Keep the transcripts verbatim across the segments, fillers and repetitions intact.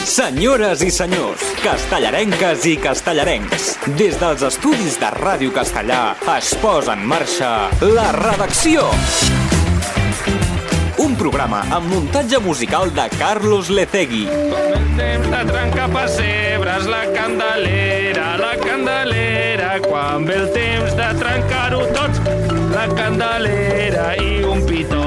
Senyores i senyors, castellarenques i castellarencs, des dels estudis de Ràdio Castellà es posa en marxa La Redacció. Un programa amb muntatge musical de Carlos Lecegui. Com el temps de trencar pessebres, la candelera, la candelera. Quan ve el temps de trencar-ho tots, la candelera i un pitó.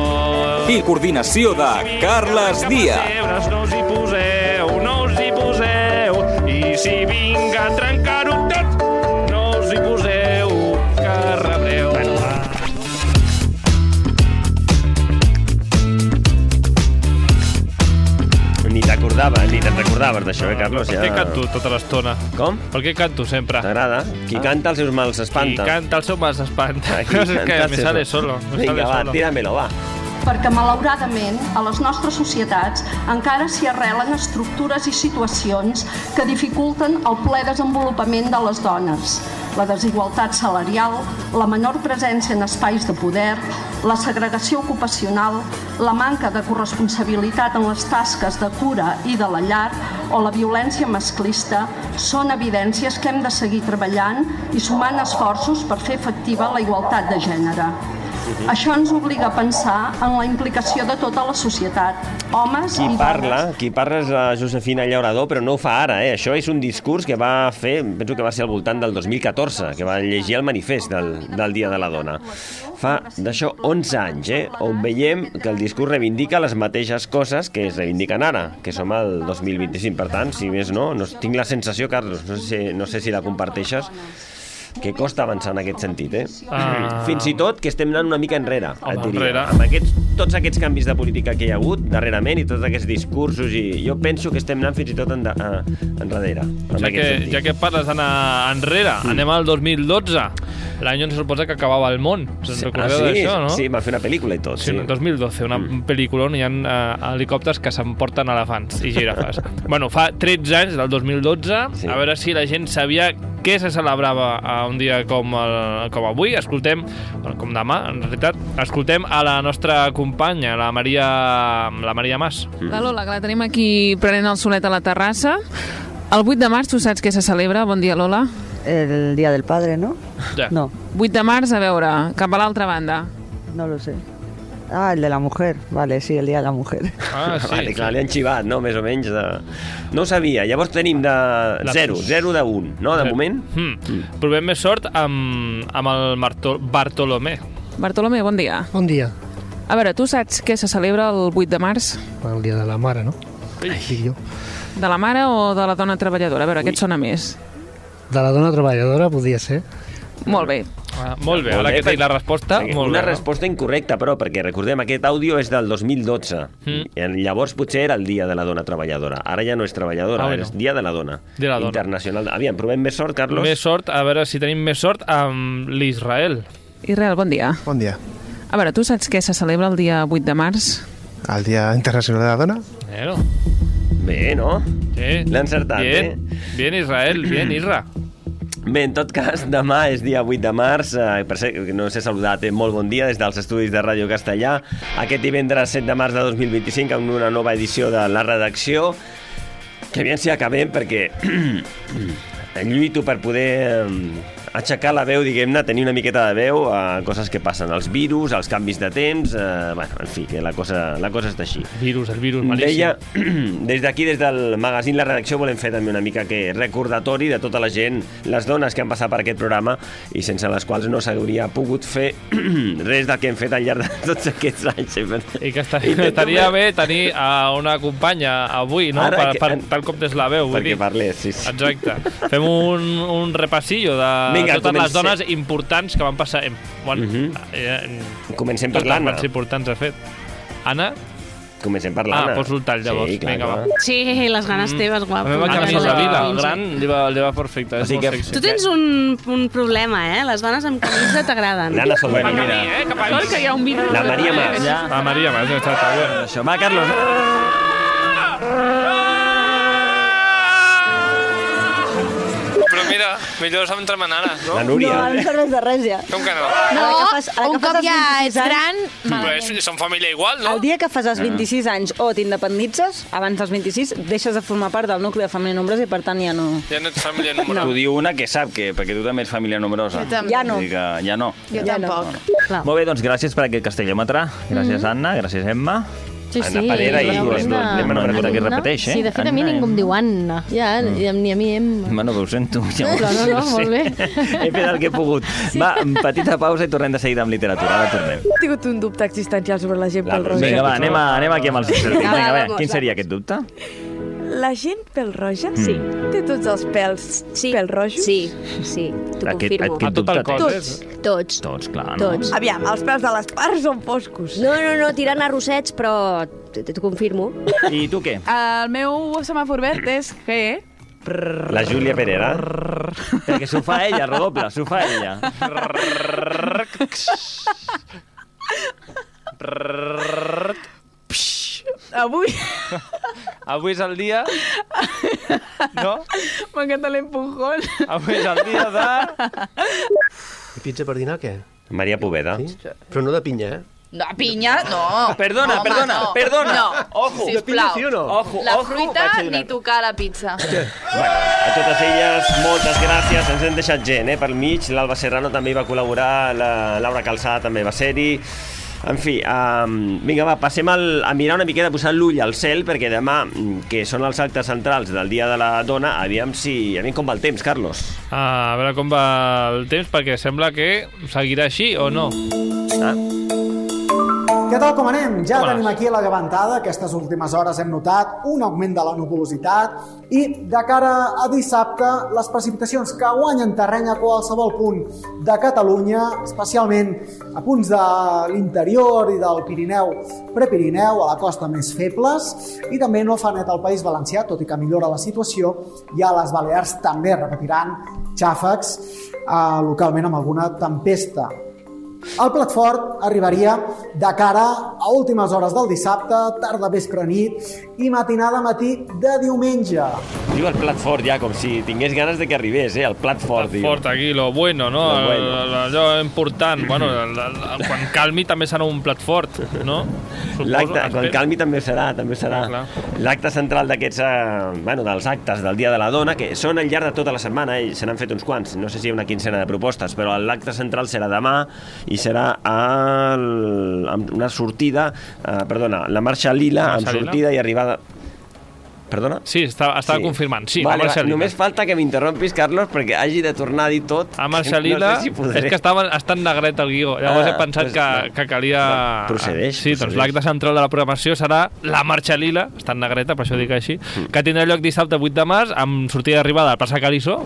I coordinació de Carles Díaz. No us hi poseu, no us hi poseu. I si vinc a trencar-ho tot, no us hi poseu, que rebreu. Ni t'acordava, ni te'n recordaves d'això, eh, Carlos? Per què canto tota l'estona? Com? Per què canto sempre? T'agrada? Qui canta els seus mals s'espanta. Qui canta els seus mals s'espanta. Qui No sé canta què, me sale solo. Me Vinga, sale va, solo. tíramelo, va. Perquè, malauradament, a les nostres societats encara s'hi arrelen estructures i situacions que dificulten el ple desenvolupament de les dones. La desigualtat salarial, la menor presència en espais de poder, la segregació ocupacional, la manca de corresponsabilitat en les tasques de cura i de la llar o la violència masclista són evidències que hem de seguir treballant i sumant esforços per fer efectiva la igualtat de gènere. Això ens obliga a pensar en la implicació de tota la societat, homes Qui i parla, dones. qui parla és la Josefina Llaurador, però no ho fa ara, eh? Això és un discurs que va fer, penso que va ser al voltant del dos mil catorze, que va llegir el manifest del, del Dia de la Dona. Fa d'això onze anys, eh? On veiem que el discurs reivindica les mateixes coses que es reivindiquen ara, que som al dos mil vint-i-cinc. Per tant, si més no, no tinc la sensació, Carlos, no sé, no sé si la comparteixes, que costa avançar en aquest sentit, eh? Ah. Fins i tot que estem anant una mica enrere, Home, et diria. enrere. Amb aquests, tots aquests canvis de política que hi ha hagut darrerament i tots aquests discursos, i jo penso que estem anant fins i tot en, a, enrere, en Ja aquest que, sentit. ja que parles d'anar enrere, mm. anem al dos mil dotze, l'any on se suposa que acabava el món. Se'n Sí, recordeu ah, sí, d'això, no? Sí, va fer una pel·lícula i tot. Sí, Sí, el dos mil dotze, una mm. pel·lícula on hi ha uh, helicòpters que s'emporten elefants i girafes. Bueno, fa tretze anys, del dos mil dotze, Sí. a veure si la gent sabia què se celebrava a un dia com, el, com avui. Escoltem, bueno, com demà, en realitat, escoltem a la nostra companya, la Maria, la Maria Mas. La Lola, que la tenim aquí prenent el solet a la terrassa. El vuit de març, tu saps què se celebra? Bon dia, Lola. El Día del Padre, ¿no? Ja. No, vuit de març, a veure, cap a l'altra banda. no lo sé. Ah, el de la mujer. Vale, sí, el Día de la Mujer. Ah, sí, vale, clar, sí. li han xivat, no? Més o menys de... No ho sabia. Llavors tenim de zero, zero de un, no? De moment. Mm. Mm. Provem més sort amb, amb el Marto, Bartolomé. Bartolomé, bon dia. Bon dia. A veure, tu saps què se celebra el vuit de març? El dia de la mare, no? Ui. Dic jo. De la mare o de la dona treballadora? A veure, què et sona més? De la dona treballadora podia ser. Molt bé. Ah, molt bé, Molt ara bé, que té perquè- la resposta, perquè molt una bé. no? resposta incorrecta, però, perquè recordem, aquest àudio és del dos mil dotze. Mm. I llavors potser era el dia de la dona treballadora. Ara ja no és treballadora, Ah, ara bueno. és dia de la dona. De la dona. Internacional. Aviam, provem més sort, Carlos? Més sort, a veure si tenim més sort amb l'Israel. Israel, bon dia. Bon dia. A veure, tu saps què se celebra el dia vuit de març? El Dia Internacional de la Dona? Bueno, Bé, no? sí. L'he encertat, bien, eh? Bien, Israel, bien, Isra. Bé, en tot cas, demà és dia vuit de març. Eh, per ser, no s'he saludat, eh? Molt bon dia des dels estudis de Ràdio Castellà. Aquest divendres set de març de dos mil vint-i-cinc amb una nova edició de La Redacció. Que aviam si acabem, perquè lluito per poder eh, aixecar la veu, diguem-ne, tenir una miqueta de veu a coses que passen, els virus, els canvis de temps, eh, bueno, en fi, que la cosa, la cosa està així. Virus, el virus malíssim. Deia, des d'aquí, des del magazín La Redacció, volem fer també una mica que recordatori de tota la gent, les dones que han passat per aquest programa i sense les quals no s'hauria pogut fer res del que hem fet al llarg de tots aquests anys. I que estaria, Intento estaria fer- bé tenir a una companya avui, no? Ara Per, que- per, tal com des la veu, vull perquè dir. parlés, sí, sí. Exacte. Fem un, un repassillo de Vinga, totes les comencem. dones importants que van passar... En, bueno, Mhm. eh, Comencem per totes l'Anna. les importants, de fet. Anna? Comencem per Ah, l'Anna. poso el tall, llavors. Sí, clar, Vinga, clar. va. Sí, les ganes teves, La guapo. meva Ganes camisa de lila, quinze. gran, li va, li va perfecte. O És sigui molt que- sexy. Tu tens un, un problema, eh? Les dones amb camisa t'agraden. L'Anna Sol, Bueno, mira. mira, eh? Cap a mi. Que hi ha un vídeo... La Maria Mas. La Maria Mas, exacte. Bueno. Això, va, Carlos. Però mira, m'he millor s'entra mananes, no? La Núria. No, no serveix de res, ja. Com que no? No, Ara que fas- ara un que fas cop els ja vint-i-sis ets gran... Pues, són família igual, no? El dia que fas els vint-i-sis anys o t'independitzes, abans dels vint-i-sis, deixes de formar part del nucli de família nombrosa i, per tant, ja no... Ja no ets família numerosa. T'ho diu una que sap que, perquè tu també ets família numerosa. Jo també. Ja no. Vull dir que ja no. Jo Ja tampoc. Clar. Molt bé, doncs gràcies per aquest castellòmetre. Gràcies, Anna. Gràcies, Emma. Sí, Anna sí. Parera i Anna. l'Emma no recorda qui repeteix, eh? Sí, de fet, a mi Anna, ningú em diu Anna. Ja, ni a mi em... Bueno, que ho sento. Ja ho Però no, no, sé. molt bé. He fet el que he pogut. Va, petita pausa i tornem de seguida amb literatura. Ara tornem. He tingut un dubte existencial sobre la gent La, pel roja. vinga, va, anem, a, anem aquí amb els experts. Vinga, Vinga, va, va, quin seria aquest dubte? La gent pel roja Sí. té tots els pèls Sí. pel rojos? Sí, sí, t'ho Aquest- confirmo. aquest dubte el cos, tens? eh? Tots. Tots, clar, no? Tots. Aviam, els pèls de les parts són foscos. No, no, no, tirant a rossets, però t- t'ho confirmo. I tu què? El meu semàfor verd és G. La Júlia Perera. Perquè s'ho fa ella, redoble, s'ho fa ella. Avui Avui és el dia... No? m'encanta l'empujón. Avui és el dia de... I pizza per dinar, què? Maria Poveda. Sí? Però no de pinya, eh? No, pinya, no. Perdona, Home, perdona, no. perdona. No, Ojo. De pinya sisplau. sí o no? Ojo, La ojo. fruita vaig a ni donar. tocar la pizza. Bueno, a totes elles, moltes gràcies. Ens hem deixat gent, eh, pel mig. L'Alba Serrano també hi va col·laborar, la Laura Calçada també va ser-hi. En fi, um, vinga, va, passem al, a mirar una miqueta, a posar l'ull al cel, perquè demà, que són els actes centrals del Dia de la Dona, aviam si... Aviam com va el temps, Carlos. Ah, a veure com va el temps, perquè sembla que seguirà així, o no? Ah. Què tal com anem? Ja Com tenim anes? aquí la llevantada. Aquestes últimes hores hem notat un augment de la nuvolositat i de cara a dissabte les precipitacions que guanyen terreny a qualsevol punt de Catalunya, especialment a punts de l'interior i del Pirineu, Prepirineu, a la costa més febles, i també no fa net al País Valencià, tot i que millora la situació, i a les Balears també repetiran xàfecs eh, localment amb alguna tempesta. El plat fort arribaria de cara a últimes hores del dissabte, tarda, vespre, nit i matinada matí de diumenge. Diu el plat fort ja, com si tingués ganes de que arribés, eh? El plat fort, diu. Fort aquí, lo bueno, no? Lo bueno. El- Allò important. Bueno, el, el, el, quan calmi també serà un plat fort, no? Suposo, L'acte, quan espero. calmi també serà, també serà. Clar, L'acte central d'aquests, eh, bueno, dels actes del Dia de la Dona, que són al llarg de tota la setmana, eh, se n'han fet uns quants, no sé si hi ha una quincena de propostes, però l'acte central serà demà i serà el, amb una sortida, eh, perdona, la marxa lila, Marxa amb lila? sortida i arribada... Perdona? Sí, estava, estava confirmant. Sí, vale, la Marxa va, Lila. només falta que m'interrompis, Carlos, perquè hagi de tornar a dir tot. A Marxa Lila, no sé si podré. és que estava, està en negret el guió. Llavors Ah, he pensat doncs, que, no. que calia... Procedeix, Sí, doncs procedeix. l'acte central de la programació serà la Marxa Lila, està en negreta, per això dic així, Mm. que tindrà lloc dissabte vuit de març amb sortida d'arribada a plaça Caliçó,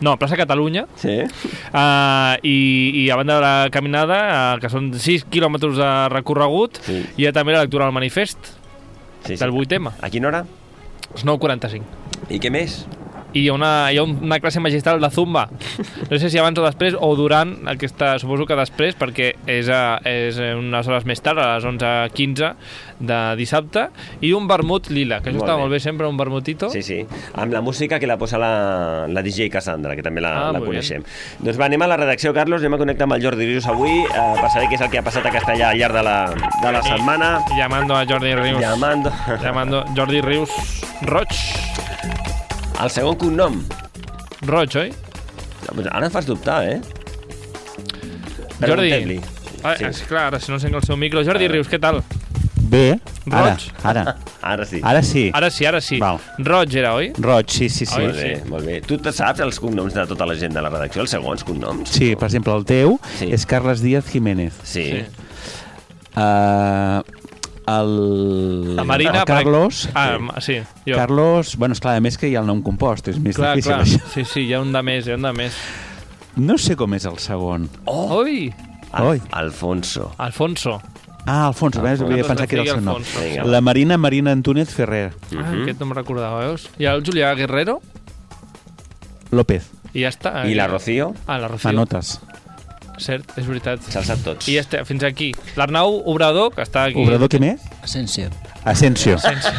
no, plaça Catalunya, Sí. uh, i, i a banda de la caminada, uh, que són sis quilòmetres de recorregut, Sí. hi ha també la lectura del manifest Sí, sí. del vuit ema. A quina hora? És nou quaranta-cinc. I què més? I hi ha, una, hi ha una classe magistral de Zumba. No sé si abans o després, o durant aquesta, suposo que després, perquè és, a, és unes hores més tard, a les onze quinze de dissabte, i un vermut lila, que això Molt està bé. molt bé sempre, un vermutito. Sí, sí, amb la música que la posa la, la D J Cassandra, que també la, Ah, la molt coneixem. Doncs va, anem a la redacció, Carlos, anem a connectar amb el Jordi Rius avui eh, per saber què és el que ha passat a Castellà al llarg de la, de la I- setmana. Llamando a Jordi Rius. Llamando. Llamando Jordi Rius Roig. El segon cognom. Roig, oi? Ara em fas dubtar, eh? Jordi. Preguntem-li. Ah, Sí. és clar, ara si no encenc el seu micro. Jordi Rius, què tal? Bé, ara, Roig? ara. Ara sí. Ara sí. Ara sí, ara sí. Val. Roig era, oi? Roig, sí, sí, sí. Molt bé, molt bé. Tu te saps els cognoms de tota la gent de la redacció, els segons cognoms? Sí, per exemple, el teu Sí. és Carles Díaz Jiménez. Sí. Sí. Uh, el, La Marina, el Carlos... Ah, sí, jo. Carlos, bueno, esclar, a més que hi ha el nom compost, és més Clar, difícil clar. això. Sí, sí, hi ha un de més, hi ha un de més. No sé com és el segon. Oh! Oi! Al Oi. Alfonso. Alfonso. Ah, Alfonso, Alfonso. havia pensat que era el seu nom. Alfonso. Vinga. La Marina Marina Antúnez Ferrer. Ah, aquest no me'n recordava, veus? I el Julià Guerrero? López. I ja està. I la Rocío? Ah, la Rocío. Anotes. Cert, és veritat. Se'ls sap tots. I ja està, fins aquí. L'Arnau Obrador, que està aquí. Obrador, què més? Asensio. Asensio. Asensio.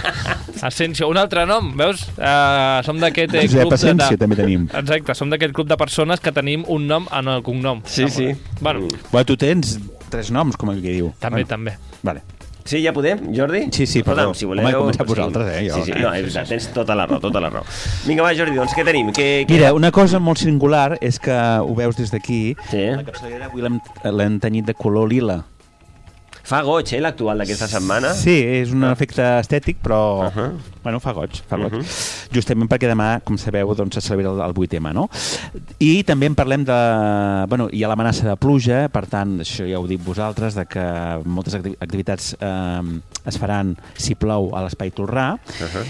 Asensio, un altre nom, veus? Uh, som d'aquest eh, Josep club... Asensio, de, de... també tenim. Exacte, som d'aquest club de persones que tenim un nom en el cognom. Sí, sí. Bueno. Bueno, tu tens tres noms, com el que diu. També, bueno. també. Vale. Sí, ja podem, Jordi? Sí, sí, perdó. Si voleu, Home, he començat sí. vosaltres, eh? Jo. Sí, sí, no, és veritat, tens tota la raó, tota la raó. Vinga, va, Jordi, doncs què tenim? Què, què... Mira, una cosa molt singular és que ho veus des d'aquí. Sí. La capçalera avui l'hem l'hem tenyit de color lila. Fa goig, eh, l'actual d'aquesta setmana? Sí, és un efecte estètic, però Uh -huh. bueno, fa goig, fa goig. Uh -huh. Justament perquè demà, com sabeu, doncs, se celebra el, el vuit eme, no? I també en parlem de... Bueno, hi ha l'amenaça de pluja, per tant, això ja ho dic vosaltres, de que moltes acti- activitats eh, es faran si plou a l'Espai Tolrà, Uh -huh.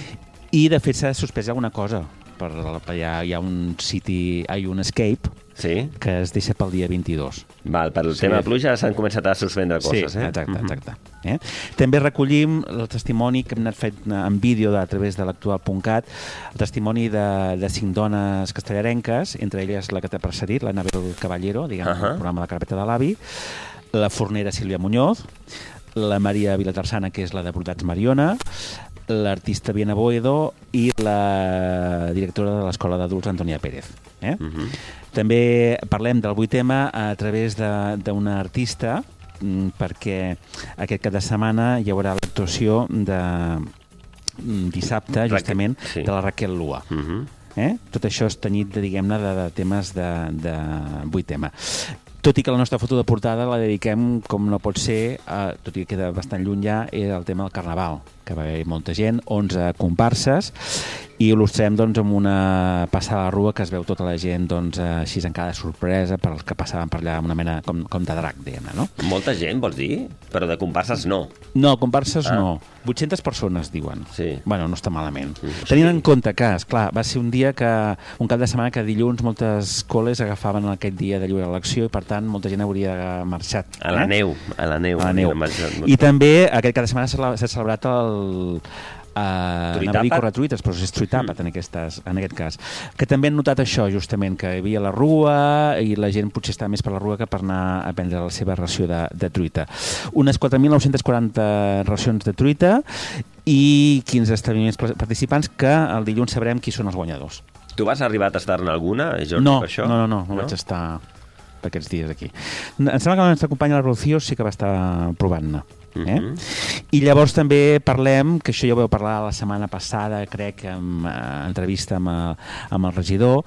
i de fet s'ha suspès alguna cosa. Per la, hi, ha, hi ha un city, hi ha un escape, sí, que es deixa pel dia vint-i-dos. Val, per el Sí. tema de pluja s'han començat a suspendre coses, sí, eh? exacte, exacte. Eh? També recollim el testimoni que hem anat fet en vídeo a través de l'actual punt cat, el testimoni de, de cinc dones castellarenques, entre elles la que t'ha precedit, l'Anabel Caballero, diguem, uh -huh. el programa de la carpeta de l'avi, la fornera Sílvia Muñoz, la Maria Vilatarsana, que és la de Brodats Mariona, l'artista Viena Boedo i la directora de l'Escola d'Adults, Antònia Pérez. Eh? Uh -huh. També parlem del vuit eme a través d'una artista, perquè aquest cap de setmana hi haurà l'actuació de dissabte, justament, sí. de la Raquel Lua. Uh -huh. eh? Tot això és tenyit, diguem-ne, de, de temes de, de vuit eme. Tot i que la nostra foto de portada la dediquem, com no pot ser, a, tot i que queda bastant lluny ja, és el tema del Carnaval, que va haver molta gent, onze comparses, i il·lustrem doncs, amb una passada a la rua que es veu tota la gent doncs, així encara de sorpresa per als que passaven per allà amb una mena com, com de drac, diguem-ne, no? Molta gent, vols dir? Però de comparses no. No, comparses ah. no. vuit-centes persones, diuen. Sí. Bueno, no està malament. Mm. Tenint en compte que, esclar, va ser un dia que, un cap de setmana que dilluns moltes coles agafaven aquest dia de lliure elecció i, per tant, molta gent hauria marxat. A la eh? neu, a la neu. A la neu. Marxat, I també aquest cap de setmana s'ha celebrat el... Uh, anava a dir corretruites, però és Street Àpat mm. en, aquestes, en aquest cas. Que també han notat això, justament, que hi havia la rua i la gent potser estava més per la rua que per anar a prendre la seva ració de, de truita. Unes quatre mil nou-centes quaranta racions de truita i quinze establiments participants que el dilluns sabrem qui són els guanyadors. Tu vas arribar a tastar-ne alguna, Jordi, no, per això? No, no, no, no, no vaig estar per aquests dies aquí. Em sembla que la nostra companya la Rocío sí que va estar provant-ne. Eh? Uh-huh. I llavors també parlem, que això ja ho vau parlar la setmana passada, crec, en uh, entrevista amb, uh, amb el regidor,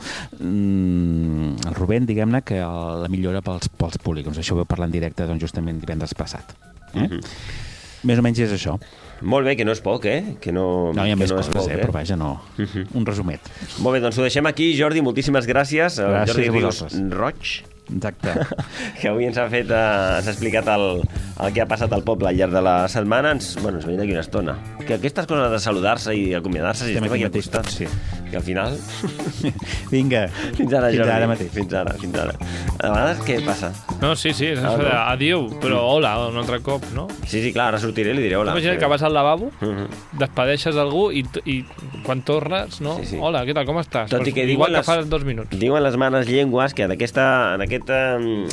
um, el Rubén, diguem-ne, que el, la millora pels, pels polígons. Això ho vau parlar en directe doncs, justament divendres passat. Eh? Uh-huh. Més o menys és això. Molt bé, que no és poc, eh? Que no, no hi ha que més no coses, poc, eh? Però vaja, no. Uh-huh. Un resumet. Molt bé, doncs ho deixem aquí. Jordi, moltíssimes gràcies. Gràcies Jordi a Ríos vosaltres. Roig. Exacte. Que avui ens ha fet, eh, ens ha explicat el, el que ha passat al poble al llarg de la setmana. Ens, bueno, ens veiem d'aquí una estona. Que aquestes coses de saludar-se i acomiadar-se, si estem aquí al costat, sí. Que al final... Vinga. Fins ara, Jordi. Fins ara mateix. Fins ara, fins ara. A vegades què passa? No, sí, sí, és Ah, això no. de adiu, però hola, un altre cop, no? Sí, sí, clar, ara sortiré i li diré hola. Imagina't que vas al lavabo, Uh -huh. despedeixes algú i, i quan tornes, no? Sí, sí. Hola, què tal, com estàs? Tot i Pues que igual diuen que les- fa dos minuts. Diuen les manes llengües que en, aquesta, en aquest, um,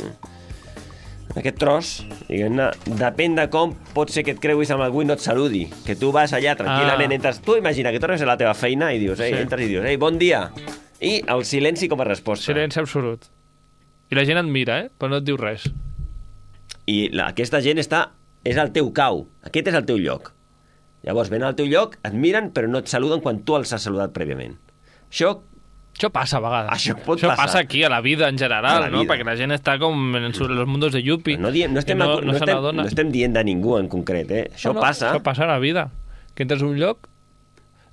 en aquest tros, diguem-ne, depèn de com pot ser que et creuis amb algú i no et saludi. Que tu vas allà tranquil·lament, Ah. entres... Tu imagina que tornes a la teva feina i dius, ei, Sí. entres i dius, ei, bon dia. I el silenci com a resposta. Silenci absolut. I la gent et mira, eh? Però no et diu res. I la, aquesta gent està... És el teu cau. Aquest és el teu lloc. Llavors, ven al teu lloc, et miren, però no et saluden quan tu els has saludat prèviament. Això... Això passa a vegades. Això pot Això passar. passa aquí, a la vida en general, A la no? vida. Perquè la gent està com en su- los mundos de Yuppie. No, diem, no, estem, no, no, no, se estem, n'adona. no estem dient de ningú en concret, eh? Això No, no, passa. Això passa a la vida. Que entres a un lloc...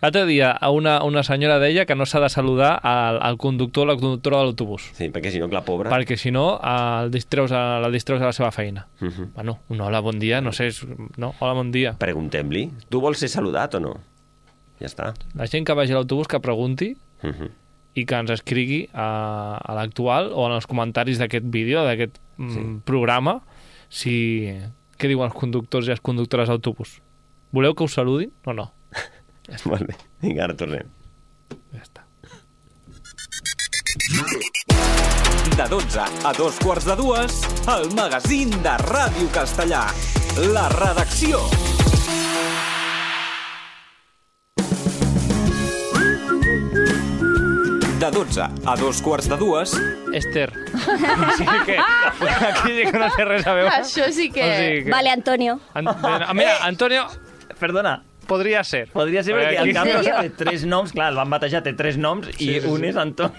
L'altre dia, a una, una senyora deia que no s'ha de saludar al, al conductor o la conductora de l'autobús. Sí, perquè si no, la pobra... Perquè si no, el distreus a, la distreus a la seva feina. Uh -huh. Bueno, un hola, bon dia, no sé... És, no, hola, bon dia. Preguntem-li. Tu vols ser saludat o no? Ja està. La gent que vagi a l'autobús que pregunti Uh -huh. i que ens escrigui a, a l'actual o en els comentaris d'aquest vídeo, d'aquest mm, Sí. programa, si... què diuen els conductors i les conductores d'autobús? Voleu que us saludin o no? Ja està. Molt bé. Vinga, ara tornem. Ja està. De dotze a dos quarts de dues, el magazín de Ràdio Castellà. La redacció. De dotze a dos quarts de dues... Esther. O sigui que... Aquí sí que no té res a veure. Això sí que... O sigui que... Vale, Antonio. An... Mira, Antonio... Perdona. Podria ser. Podria ser perquè Aquí- el Carlos té tres noms, clar, el van batejar, té tres noms i Sí, sí, un sí. és Anton.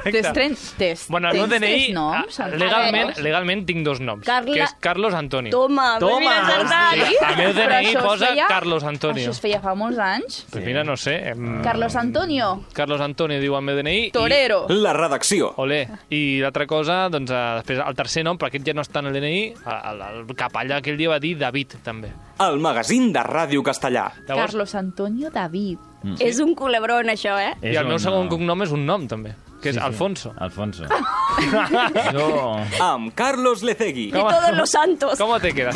Tens tres, tens, Bueno, el meu tens D N I, tres noms? legalment, legalment tinc dos noms, Carla- que és Carlos Antonio. Toma, Toma, ben encertat. Sí, el meu D N I Però això es posa feia- Carlos Antonio. Això es feia fa molts anys. Pues mira, no sé. Em... Carlos Antonio. Carlos Antonio diu el meu D N I. Torero. La redacció. I... Olé. I l'altra cosa, doncs, eh, després el tercer nom, però aquest ja no està en el D N I, el, el, el capellà aquell dia va dir David, també. El magazín de Ràdio Castellà. Llavors, Carlos Antonio David. Mm. És un culebrón, això, eh? I el meu segon cognom és un nom, també, que és Sí, sí. Alfonso. Alfonso. Jo... Amb Carlos Lecegui. Y todos los santos. ¿Cómo te quedas?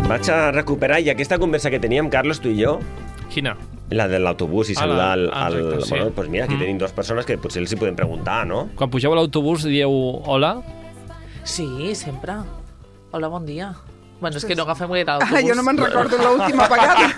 Vaig a recuperar i aquesta conversa que teníem, Carlos, tu i jo, Quina? la de l'autobús i Ah, saludar la- al... ah, al... exacte, sí. Bueno, doncs mira, aquí Mm. tenim dues persones que potser els hi podem preguntar, no? Quan pugeu a l'autobús dieu hola? Sí, sempre. Hola, bon dia. Bueno, és que no agafem gaire l'autobús. Ah, jo no me'n recordo l'última vegada.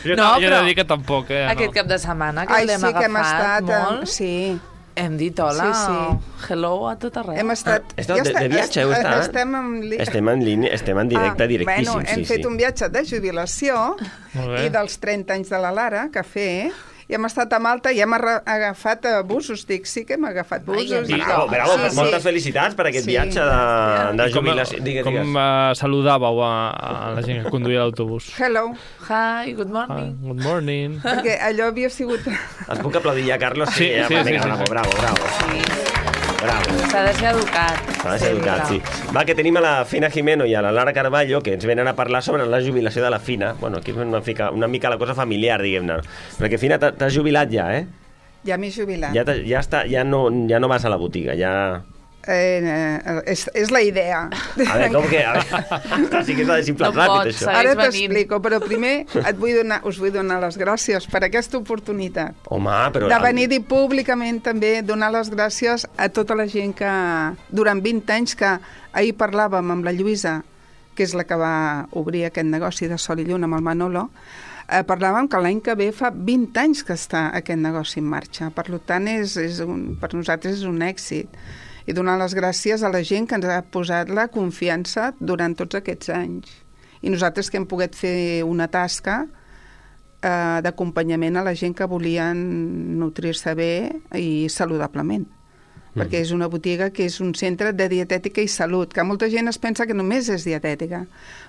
Jo, No, no, jo he però de dir que tampoc, eh? Aquest no. cap de setmana que Ai, l'hem sí que hem agafat estat... molt. eh, Sí, Hem dit hola, Sí, sí. hello a tot arreu. hem estat... Ah, esteu de- de viatge, heu estat? Estem en... li- Estem en línia, estem en directe, Ah, directíssim, bueno, hem sí, fet sí. un viatge de jubilació Molt bé. i dels trenta anys de la Lara, cafè, i hem estat a Malta i hem arra- agafat eh, busos. Dic, sí que hem agafat busos. I, bravo, bravo, Sí, sí. moltes felicitats per aquest Sí. viatge de, de I com, jubilació. Digues, com digues. uh, saludàveu a, a la gent que conduïa l'autobús? Hello, Hi, good Ah, morning. good morning. perquè allò havia sigut... Es puc aplaudir ja, Carlos? Sí, ja, sí, va, sí, vinga, sí, bravo, sí. bravo, bravo. Bravo. S'ha de ser educat. S'ha de ser educat, sí. Va, que tenim a la Fina Jimeno i a la Lara Carballo, que ens venen a parlar sobre la jubilació de la Fina. Bueno, aquí és una mica, una mica la cosa familiar, diguem-ne. Perquè, Fina, t'ha- t'has jubilat ja, eh? Ja m'he jubilat. Ja, t'ha- ja, està, ja, no, ja no vas a la botiga, ja... Eh, eh, és, és la idea. A veure, com que... A veure, sí que s'ha de simplar No ràpid, pots, això. Ara venint. t'explico, però primer et vull donar, us vull donar les gràcies per aquesta oportunitat. Home, però... De venir-hi públicament també, donar les gràcies a tota la gent que durant vint anys, que ahir parlàvem amb la Lluïsa, que és la que va obrir aquest negoci de Sol i Lluna amb el Manolo, eh, parlàvem que l'any que ve fa vint anys que està aquest negoci en marxa. Per tant, és, és un, per nosaltres és un èxit. I donar les gràcies a la gent que ens ha posat la confiança durant tots aquests anys. I nosaltres que hem pogut fer una tasca eh, d'acompanyament a la gent que volien nutrir-se bé i saludablement. Mm. Perquè és una botiga que és un centre de dietètica i salut, que molta gent es pensa que només és dietètica,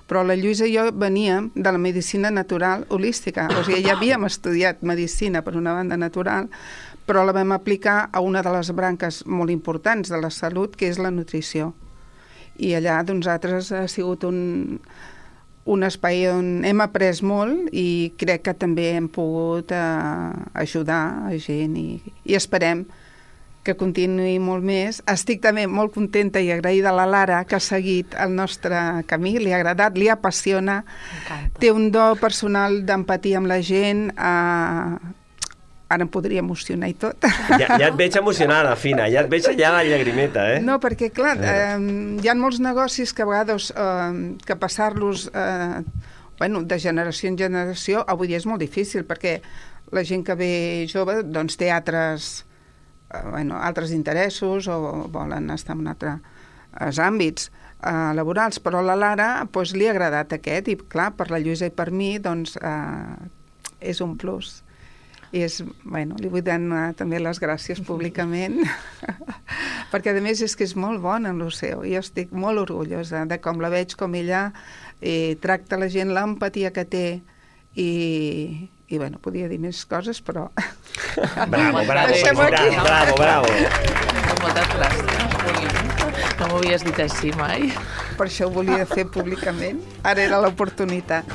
però la Lluïsa i jo veníem de la medicina natural holística, o sigui, ja havíem estudiat medicina per una banda natural, però la vam aplicar a una de les branques molt importants de la salut, que és la nutrició. I allà, doncs, nosaltres ha sigut un, un espai on hem après molt i crec que també hem pogut eh, ajudar a gent i, i esperem que continuï molt més. Estic també molt contenta i agraïda a la Lara, que ha seguit el nostre camí, li ha agradat, li apassiona, té un do personal d'empatia amb la gent, eh, ara em podria emocionar i tot. Ja, ja et veig emocionada, Fina, ja et veig allà la llagrimeta, eh? No, perquè, clar, eh, hi ha molts negocis que a vegades eh, que passar-los eh, bueno, de generació en generació avui dia és molt difícil, perquè la gent que ve jove doncs, té altres, eh, bueno, altres interessos o volen estar en altres àmbits eh, laborals, però a la Lara doncs, li ha agradat aquest i, clar, per la Lluïsa i per mi doncs, eh, és un plus. I és, bueno, li vull donar també les gràcies públicament perquè a més és que és molt bona en el seu i jo estic molt orgullosa de com la veig, com ella eh, tracta la gent, l'empatia que té i, i bueno, podia dir més coses però bravo, bravo, Deixem-ho aquí. bravo, bravo Moltes gràcies, no m'ho havies dit així mai. Per això ho volia fer públicament, ara era l'oportunitat.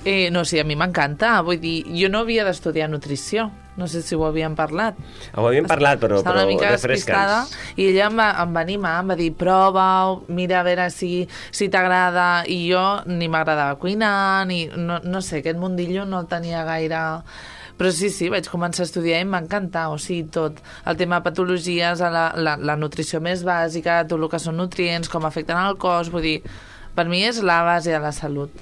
Eh, no, sí, a mi m'encanta. Vull dir, jo no havia d'estudiar nutrició. No sé si ho havíem parlat. Ho havíem parlat, però, Està però una mica refresca'ns. despistada. I ella em va, em va animar, em va dir, prova-ho, mira a veure si, si t'agrada. I jo ni m'agradava cuinar, ni... No, no sé, aquest mundillo no el tenia gaire... Però sí, sí, vaig començar a estudiar i m'encanta, o sigui, tot. El tema de patologies, la, la, la nutrició més bàsica, tot el que són nutrients, com afecten al cos, vull dir, per mi és la base de la salut.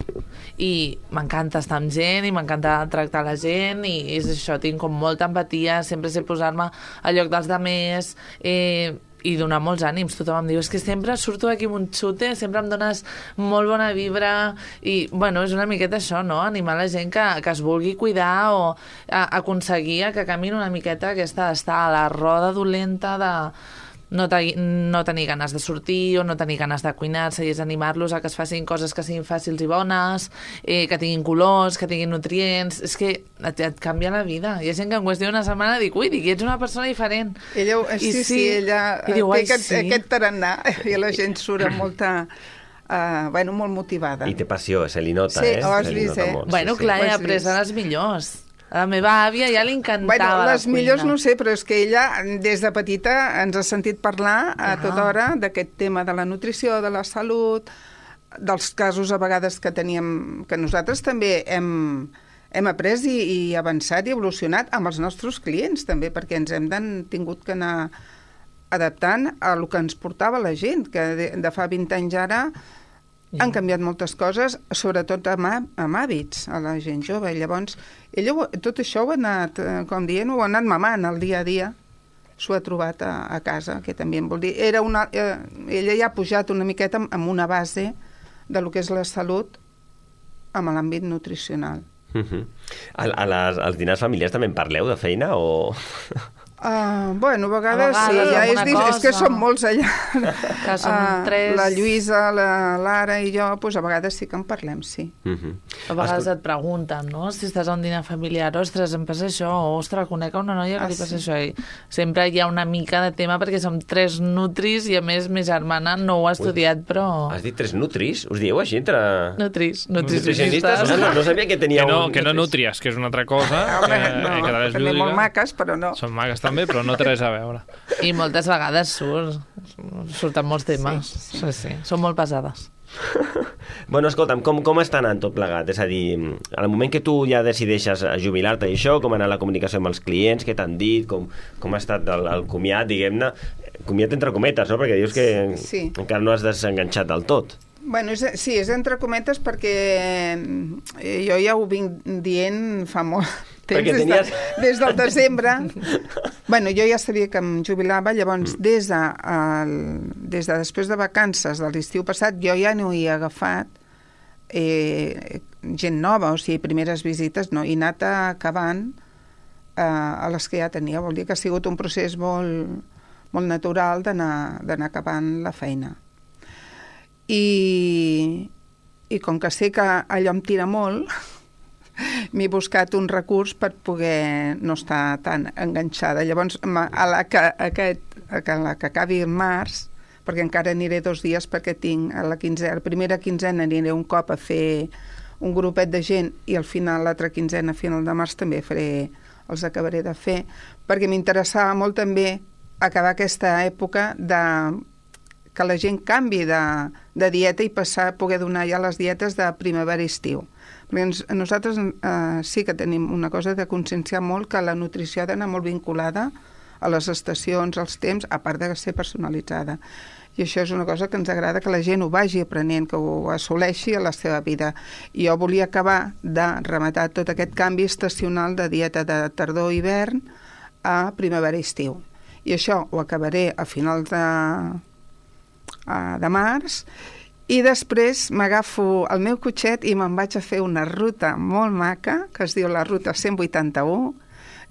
I m'encanta estar amb gent i m'encanta tractar la gent i és això, tinc com molta empatia, sempre sé posar-me al lloc dels altres, eh, i donar molts ànims. Tothom em diu, és que sempre surto d'aquí amb un xute, sempre em dones molt bona vibra i, bueno, és una miqueta això, no? Animar la gent que, que es vulgui cuidar o a, aconseguir que camini una miqueta aquesta d'estar a la roda dolenta de no, te, no tenir ganes de sortir o no tenir ganes de cuinar-se i és animar-los a que es facin coses que siguin fàcils i bones, eh, que tinguin colors, que tinguin nutrients. És que et, et canvia la vida. Hi ha gent que en qüestió d'una setmana dic, ui, dic, ets una persona diferent. Ella, sí, sí, sí, ella diu, té aquest, sí. aquest tarannà i la gent surt amb molta... Uh, bueno, molt motivada. I té passió, se li nota, sí, eh? Ho has se li vist, nota eh? molt, Bueno, sí, clar, sí. he après a les millors. A la meva àvia ja li encantava bueno, les la millors cuina. no sé, però és que ella des de petita ens ha sentit parlar a tota hora d'aquest tema de la nutrició, de la salut, dels casos a vegades que teníem, que nosaltres també hem, hem après i, i avançat i evolucionat amb els nostres clients també, perquè ens hem dan, tingut que anar adaptant a el que ens portava la gent, que de, de fa vint anys ara han canviat moltes coses, sobretot amb, amb hàbits a la gent jove. Llavors, ella tot això ho ha anat, com dient, ho ha anat mamant al dia a dia, s'ho ha trobat a, a casa, que també em vol dir... Era una, eh, ella ja ha pujat una miqueta amb, amb una base de lo que és la salut amb l'àmbit nutricional. Uh-huh. a, a les, als dinars familiars també en parleu de feina o... Uh, bueno, a vegades, a vegades sí, ja és, cosa. és que som molts allà. Que som uh, tres. La Lluïsa, la Lara i jo, pues, a vegades sí que en parlem, sí. Uh-huh. A vegades et pregunten, no? Si estàs a un dinar familiar, ostres, em passa això, o, ostres, conec una noia que Ah, li passa sí. això. I sempre hi ha una mica de tema perquè som tres nutris i, a més, ma germana no ho ha estudiat, però... Has dit tres nutris? Us dieu així entre... Nutris, nutricionistes? nutricionistes. No, no sabia que tenia Que no, un... que no nutries, que és una altra cosa. Home, que, no, que també és també lúdica. molt maques, però no. Són maques també, però no té res a veure. I moltes vegades surt, surten molts temes. Sí, sí. sí, sí. Són molt pesades. Bueno, escolta'm, com, com està anant tot plegat? És a dir, al moment que tu ja decideixes jubilar-te i això, com ha anat la comunicació amb els clients, què t'han dit, com, com ha estat el, el comiat, diguem-ne, comiat entre cometes, no? Perquè dius que Sí. encara no has desenganxat del tot. Bueno, és, sí, és entre cometes perquè eh, jo ja ho vinc dient fa molt temps, Perquè des, tenies- de, des del desembre. Bueno, jo ja sabia que em jubilava, llavors Mm. des de, el, des de després de vacances de l'estiu passat jo ja no hi he agafat eh, gent nova, o sigui, primeres visites, no, he anat acabant eh, a les que ja tenia. Vol dir que ha sigut un procés molt, molt natural d'anar d'anar acabant la feina. I, i com que sé que allò em tira molt, m'he buscat un recurs per poder no estar tan enganxada. Llavors, a la que, aquest, a la que acabi el març, perquè encara aniré dos dies perquè tinc a la quinzena, la primera quinzena aniré un cop a fer un grupet de gent i al final, l'altra quinzena, a final de març, també faré, els acabaré de fer, perquè m'interessava molt també acabar aquesta època de que la gent canvi de, de dieta i passar a poder donar ja les dietes de primavera i estiu. Perquè ens, nosaltres eh, sí que tenim una cosa de conscienciar molt que la nutrició ha d'anar molt vinculada a les estacions, als temps, a part de ser personalitzada. I això és una cosa que ens agrada que la gent ho vagi aprenent, que ho assoleixi a la seva vida. I jo volia acabar de rematar tot aquest canvi estacional de dieta de tardor-hivern a primavera-estiu. I això ho acabaré a finals de, de març i després m'agafo el meu cotxet i me'n vaig a fer una ruta molt maca, que es diu la ruta cent vuitanta-u,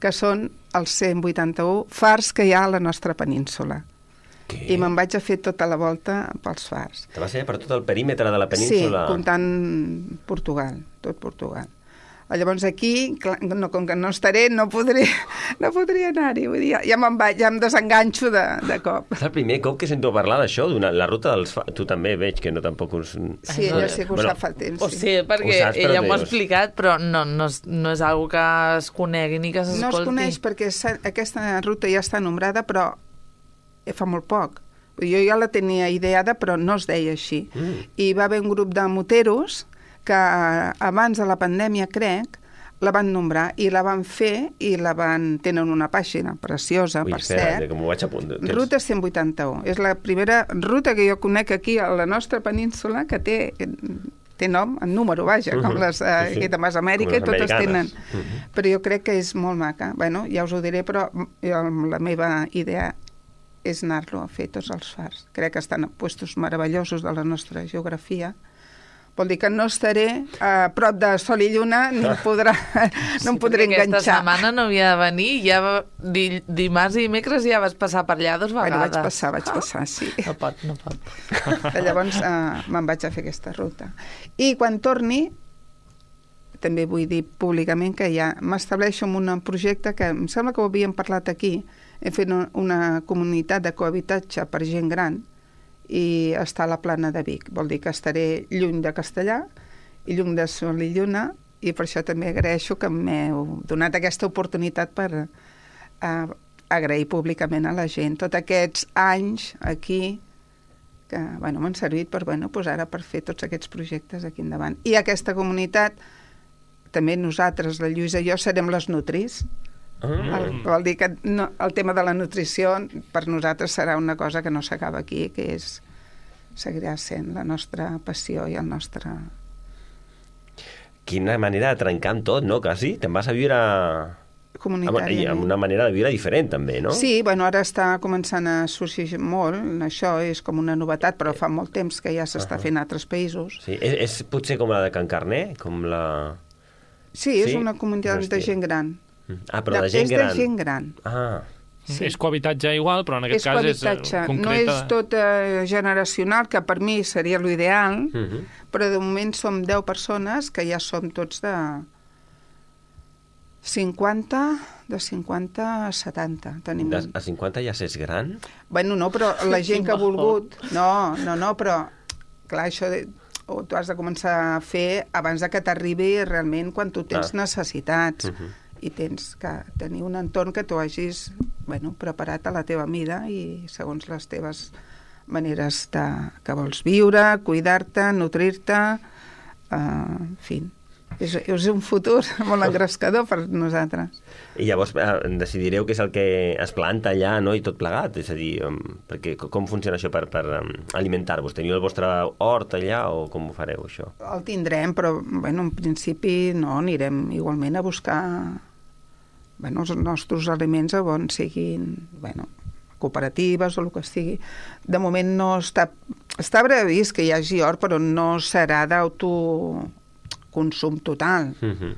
que són els cent vuitanta-u fars que hi ha a la nostra península. Què? I me'n vaig a fer tota la volta pels fars. Te vas fer per tot el perímetre de la península? Sí, comptant Portugal, tot Portugal. Llavors aquí, clar, no, com que no estaré, no podré, no podré anar-hi. Vull dir, ja me'n vaig, ja em desenganxo de, de cop. És el primer cop que sento parlar d'això, la ruta dels fars. Tu també veig que no tampoc us... Sí, ella sí que ho bueno, sap fa temps. O sigui, perquè saps, ella m'ho ha explicat, però no, no, no és una que es conegui ni que s'escolti. No es coneix perquè aquesta ruta ja està nombrada, però fa molt poc. Jo ja la tenia ideada, però no es deia així. Mm. I va haver un grup de moteros que abans de la pandèmia, crec, la van nombrar i la van fer i la van... tenen una pàgina preciosa, Ui, per espera, cert. que m'ho vaig apuntar. Ruta cent vuitanta-u. És la primera ruta que jo conec aquí a la nostra península que té, té nom en número, vaja, com Mhm. les eh, Sí, sí. de Mas Amèrica, Com les totes americanes. tenen. Mhm. Però jo crec que és molt maca. Bueno, ja us ho diré, però jo, la meva idea és anar-lo a fer tots els fars. Crec que estan a puestos meravellosos de la nostra geografia. Vol dir que no estaré a prop de Sol i Lluna ni em podrà, no em podré Aquesta enganxar. setmana no havia de venir, ja va, di, dimarts i dimecres ja vas passar per allà dos vegades. Bueno, vaig passar, vaig passar, sí. No pot, no pot. Llavors eh, me'n vaig a fer aquesta ruta. I quan torni, també vull dir públicament que ja m'estableixo en un projecte que em sembla que ho havíem parlat aquí. Hem fet una comunitat de cohabitatge per gent gran i està a la Plana de Vic. Vol dir que estaré lluny de Castellà i lluny de Sol i Lluna, i per això també agraeixo que m'heu donat aquesta oportunitat per eh, agrair públicament a la gent tots aquests anys aquí que bueno, m'han servit per, bueno, pues ara per fer tots aquests projectes aquí endavant. I aquesta comunitat, també nosaltres, la Lluïsa i jo, serem les nutris. Mm. El, vol dir que no, el tema de la nutrició per nosaltres serà una cosa que no s'acaba aquí, que és, seguirà sent la nostra passió i el nostre... Quina manera de trencar amb tot, no? Quasi. Te'n vas a viure... comunitàriament. I amb una manera de viure diferent, també, no? Sí, bueno, ara està començant a sorgir molt, això és com una novetat, però fa molt temps que ja s'està Uh-huh. fent a altres països. Sí, és, és potser com la de Can Carner? Com la... Sí, és Sí? una comunitat de gent gran. Ah, però de gent gran. És de gent gran. Ah. Sí. És cohabitatge igual, però en aquest És cas és cohabitatge, eh, no concreta. és tot eh, generacional, que per mi seria l'ideal, Mhm. però de moment som deu persones que ja som tots de cinquanta, de cinquanta a setanta. Tenim... De, a cinquanta ja s'és gran? Bueno, no, però la gent que ha volgut... No, no, no, però clar, això de... o tu has de començar a fer abans de que t'arribi realment quan tu tens Ah. necessitats. Mhm. I tens que tenir un entorn que tu hagis bueno, preparat a la teva mida i segons les teves maneres de, que vols viure, cuidar-te, nutrir-te, uh, en fi. És, és un futur molt engrescador per nosaltres. I llavors eh, decidireu què és el que es planta allà, no?, i tot plegat. És a dir, um, perquè com funciona això per, per um, alimentar-vos? Teniu el vostre hort allà o com ho fareu, això? El tindrem, però bueno, en principi no, anirem igualment a buscar bueno, els nostres aliments a on siguin bueno, cooperatives o el que sigui. De moment no està... Està previst que hi hagi hort, però no serà d'autoconsum total. Mhm.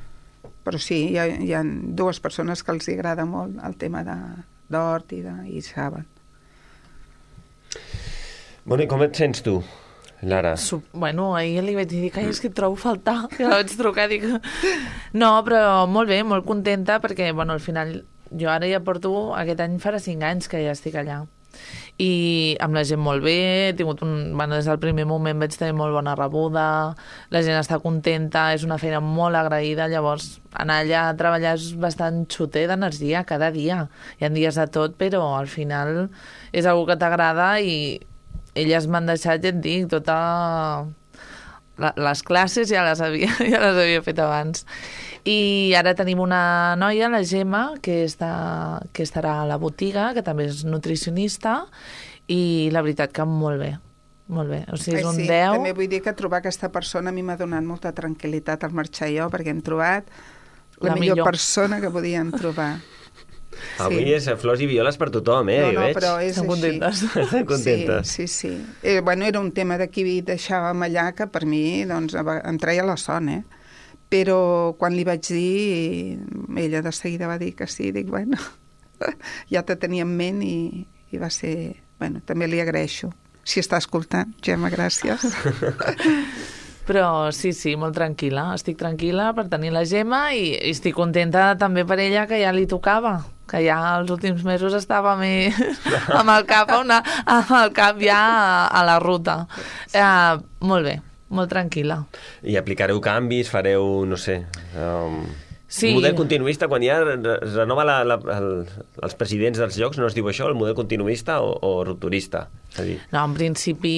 Però sí, hi ha, hi ha dues persones que els agrada molt el tema de, d'hort i, de, i saben. Bueno, i com et sents tu, Lara? Su bueno, ahir li vaig dir que és que et trobo a faltar, que la vaig trucar, dic... No, però molt bé, molt contenta, perquè, bueno, al final, jo ara ja porto, aquest any farà cinc anys que ja estic allà. I amb la gent molt bé, he tingut un... Bueno, des del primer moment vaig tenir molt bona rebuda, la gent està contenta, és una feina molt agraïda, llavors anar allà a treballar és bastant xuter d'energia cada dia. Hi ha dies de tot, però al final és algo que t'agrada i elles m'han deixat, ja et dic, tota... La, les classes ja les, havia, ja les havia fet abans. I ara tenim una noia, la Gemma, que, està, que estarà a la botiga, que també és nutricionista, i la veritat que molt bé, molt bé. O sigui, és Ai, un sí, deu. També vull dir que trobar aquesta persona a mi m'ha donat molta tranquil·litat al marxar jo, perquè hem trobat la, La millor, millor. persona que podíem trobar. Avui Sí. és flors i violes per tothom, eh? No, jo no, veig. però és Estan així. contentes. Estan contentes. Sí, sí, sí. Eh, bueno, era un tema de qui deixàvem allà que per mi doncs, em treia la son, eh? Però quan li vaig dir, ella de seguida va dir que sí, dic, bueno, ja te tenia en ment i, i va ser... Bueno, també li agraeixo. Si està escoltant, Gemma, gràcies. Però sí, sí, molt tranquil·la. Estic tranquil·la per tenir la Gemma i, i estic contenta també per ella que ja li tocava, que ja els últims mesos estava més amb el cap, a una, amb el cap ja a, a la ruta. Eh, molt bé, molt tranquil·la. I aplicareu canvis, fareu, no sé... Um... Sí. El model continuista, quan ja es renova la, la, el, els presidents dels llocs, no es diu això, el model continuista o, o rupturista? És a dir... No, en principi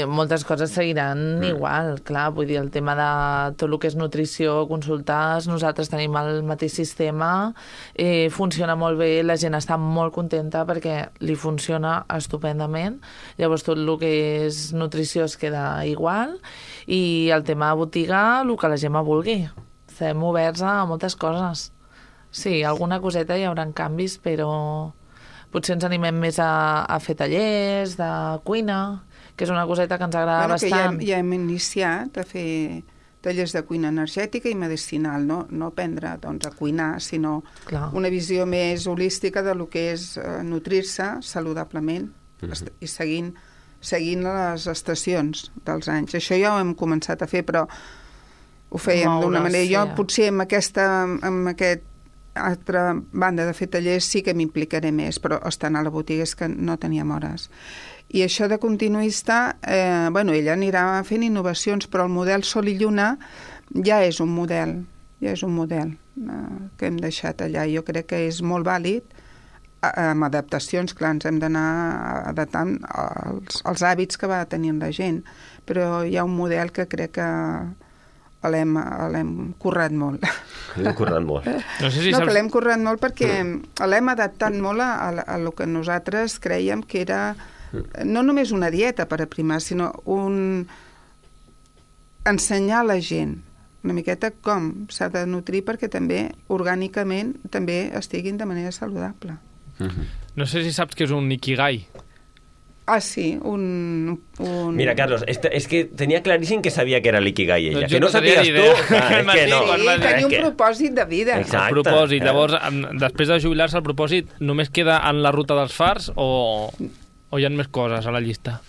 moltes coses seguiran mm. igual, clar, vull dir, el tema de tot el que és nutrició, consultes, nosaltres tenim el mateix sistema, eh, funciona molt bé, la gent està molt contenta perquè li funciona estupendament, llavors tot el que és nutrició es queda igual i el tema de botiga, el que la gent vulgui. Estem oberts a moltes coses. Sí, alguna coseta hi haurà canvis, però potser ens animem més a, a fer tallers de cuina, que és una coseta que ens agrada bueno, bastant. Que ja, ja hem iniciat a fer tallers de cuina energètica i medicinal, no, no aprendre doncs, a cuinar, sinó Clar. Una visió més holística de lo que és eh, nutrir-se saludablement mm-hmm. i seguint, seguint les estacions dels anys. Això ja ho hem començat a fer, però ho fèiem d'una manera. Jo potser amb aquesta, amb aquest altra banda de fer tallers sí que m'implicaré més, però estant a la botiga és que no teníem hores. I això de continuista, eh, bueno, ella anirà fent innovacions, però el model Sol i Lluna ja és un model, ja és un model eh, que hem deixat allà. Jo crec que és molt vàlid, amb adaptacions, clar, ens hem d'anar adaptant als, als hàbits que va tenint la gent, però hi ha un model que crec que l'hem currat molt. L'hem currat molt. No sé si no, saps... que l'hem currat molt perquè l'hem adaptat molt a, a, a lo que nosaltres creiem que era no només una dieta per aprimar, sinó un ensenyar a la gent una miqueta com s'ha de nutrir perquè també orgànicament també estiguin de manera saludable. No sé si saps que és un ikigai. Ah, sí, un... un... Mira, Carlos, és, és que tenia claríssim que sabia que era l'ikigai ella. Doncs que no, no sapigues tu... Ah, és que no. Sí, tenia un propòsit de vida. Exacte. El propòsit. Llavors, després de jubilar-se, el propòsit només queda en la ruta dels fars o, o hi ha més coses a la llista?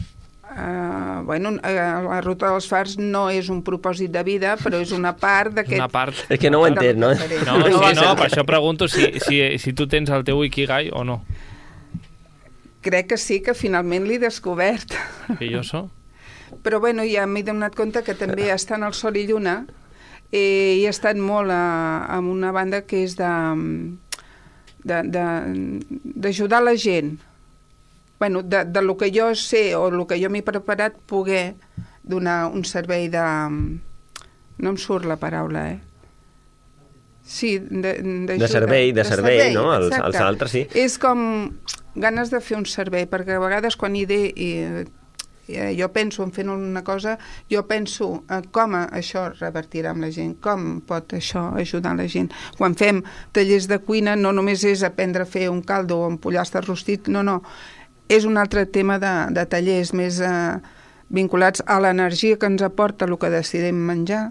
Uh, bueno, la ruta dels fars no és un propòsit de vida, però és una part d'aquest... Una part. És que no ho entén, no? No, no, sí, no, per això pregunto si, si, si tu tens el teu ikigai o no. Crec que sí, que finalment l'he descobert. I jo so? Però bueno, ja m'he donat compte que també estant al Sol i Lluna eh, he estat molt a, a una banda que és de d'ajudar la gent. Bueno, de, de lo que jo sé o el que jo m'he preparat poder donar un servei de... No em surt la paraula, eh? Sí, de, de, de servei, de, de servei, servei, no? Els, els altres, sí. És com ganes de fer un servei, perquè a vegades quan hi de, i, i, jo penso en fent una cosa, jo penso eh, com això revertirà amb la gent, com pot això ajudar la gent. Quan fem tallers de cuina no només és aprendre a fer un caldo o un pollastre rostit, no, no, és un altre tema de, de tallers més eh, vinculats a l'energia que ens aporta el que decidim menjar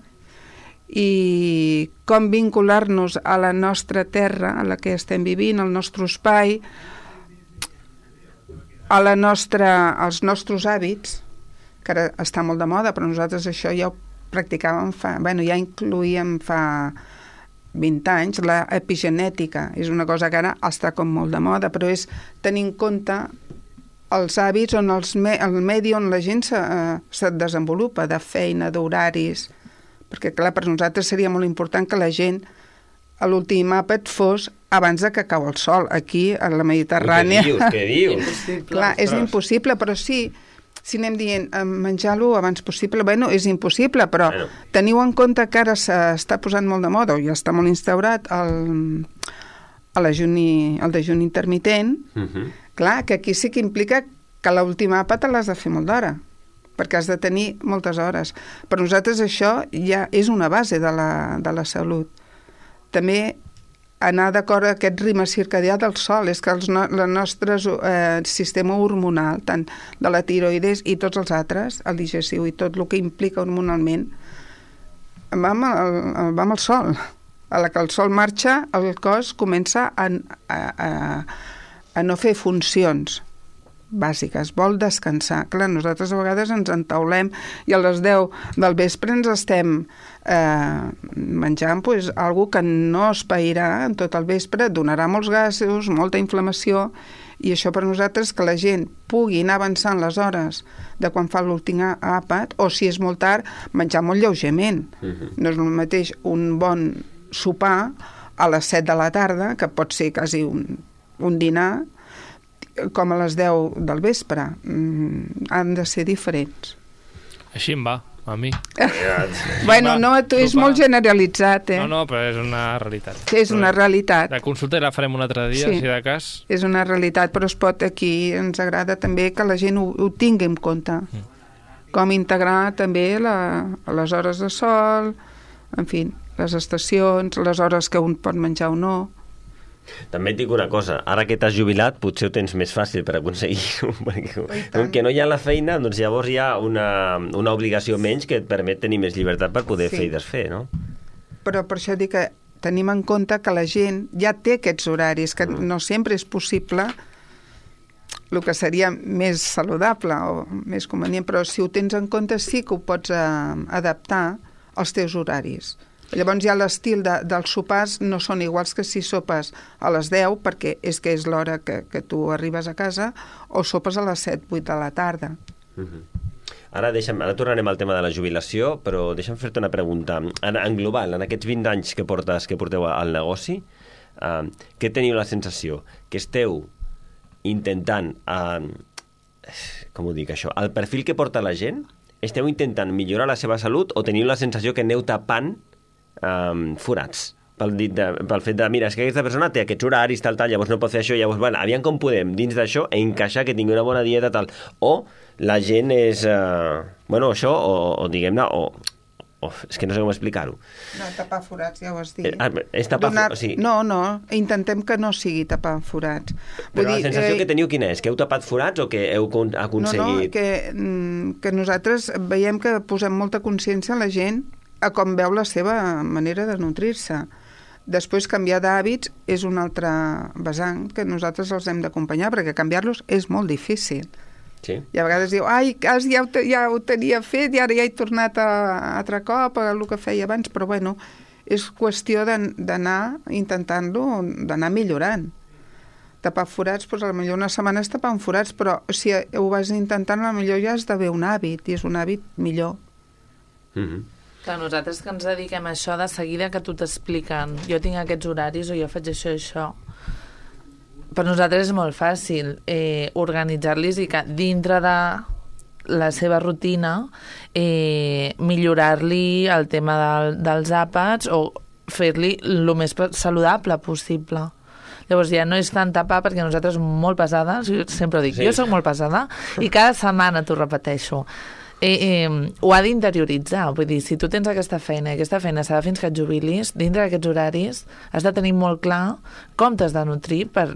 i com vincular-nos a la nostra terra, a la que estem vivint, al nostre espai, a la nostra, als nostres hàbits, que ara està molt de moda, però nosaltres això ja ho practicàvem fa... Bueno, ja incloïem fa vint anys, la epigenètica. És una cosa que ara està com molt de moda, però és tenir en compte els hàbits on els me, el medi on la gent se, eh, se desenvolupa, de feina, d'horaris, perquè clar, per nosaltres seria molt important que la gent a l'últim àpat fos abans de que cau el sol, aquí a la Mediterrània. Què dius, què dius? Clar, és impossible, però sí, si anem dient menjar-lo abans possible, bueno, és impossible, però bueno. Teniu en compte que ara s'està posant molt de moda, o ja està molt instaurat el, el, dejuni, el dejuni intermitent, uh-huh. Clar, que aquí sí que implica que l'última àpat l'has de fer molt d'hora, perquè has de tenir moltes hores. Per nosaltres això ja és una base de la, de la salut. També anar d'acord a aquest ritme circadià del sol, és que els no, el nostre eh, sistema hormonal, tant de la tiroides i tots els altres, el digestiu i tot el que implica hormonalment, va amb el, va amb el sol. A la que el sol marxa, el cos comença a, a, a, a no fer funcions bàsiques, vol descansar. Clar, nosaltres a vegades ens entaulem i a les deu del vespre ens estem eh, menjant pues, algo que no es pairà en tot el vespre, donarà molts gasos, molta inflamació, i això per nosaltres que la gent pugui anar avançant les hores de quan fa l'últim àpat, o si és molt tard, menjar molt lleugerament. Uh-huh. No és el mateix un bon sopar a les set de la tarda, que pot ser quasi un, un dinar, com a les deu del vespre. Mm, han de ser diferents. Així em va, a mi. Bueno, no, tu és molt generalitzat, eh? No, no, però és una realitat. És una realitat. La consulta la farem un altre dia, Sí. si de cas. És una realitat, però es pot aquí, ens agrada també que la gent ho, ho tingui en compte. Mm. Com integrar també la, les hores de sol, en fi, les estacions, les hores que un pot menjar o no. També et dic una cosa, ara que t'has jubilat potser ho tens més fàcil per aconseguir-ho, perquè com que no hi ha la feina, doncs llavors hi ha una, una obligació menys que et permet tenir més llibertat per poder Sí. fer i desfer, no? Però per això dic que tenim en compte que la gent ja té aquests horaris, que no sempre és possible el que seria més saludable o més convenient, però si ho tens en compte sí que ho pots eh, adaptar als teus horaris. Llavors ja l'estil de, dels sopars no són iguals que si sopes a les deu, perquè és que és l'hora que, que tu arribes a casa, o sopes a les set, vuit de la tarda. Uh-huh. Ara, deixa'm, ara tornarem al tema de la jubilació, però deixa'm fer-te una pregunta. En, en global, en aquests vint anys que portes que porteu al negoci, uh, què teniu la sensació? Que esteu intentant, uh, com ho dic això, el perfil que porta la gent, esteu intentant millorar la seva salut o teniu la sensació que aneu tapant Um, forats pel, dit de, pel fet de, mira, és que aquesta persona té aquests horaris, tal, tal, llavors no pot fer això, llavors, bueno, aviam com podem dins d'això encaixar que tingui una bona dieta, tal, o la gent és uh, bueno, això, o, o diguem-ne o, o, és que no sé com explicar-ho. No, tapar forats, ja ho has dit. Eh, és tapar Donar... forats, sí. No, no, intentem que no sigui tapar forats. Però Vull la dir, sensació eh... que teniu quina és? Que heu tapat forats o que heu aconseguit... No, no, que, mm, que nosaltres veiem que posem molta consciència a la gent a com veu la seva manera de nutrir-se. Després, canviar d'hàbits és un altre vessant que nosaltres els hem d'acompanyar, perquè canviar-los és molt difícil. Sí. I a vegades diu, ai, quasi ja ho, ja ho tenia fet i ara ja he tornat a, a altre cop a el que feia abans, però bueno, és qüestió d'anar intentant-lo, d'anar millorant. Tapar forats, doncs potser una setmana és tapant forats, però si ho vas intentant, potser ja has d'haver un hàbit, i és un hàbit millor. Mm-hmm. Clar, nosaltres que ens dediquem a això, de seguida que tu t'expliquen jo tinc aquests horaris o jo faig això i això, per nosaltres és molt fàcil eh, organitzar-los i que dintre de la seva rutina eh, millorar-li el tema del, dels àpats o fer-li el més saludable possible. Llavors ja no és tant tapar, perquè nosaltres molt pesades, jo sempre ho dic, sí. Jo soc molt pesada i cada setmana t'ho repeteixo. Eh, eh, ho ha d'interioritzar, vull dir, si tu tens aquesta feina i aquesta feina serà fins que et jubilis, dintre d'aquests horaris has de tenir molt clar com t'has de nutrir per,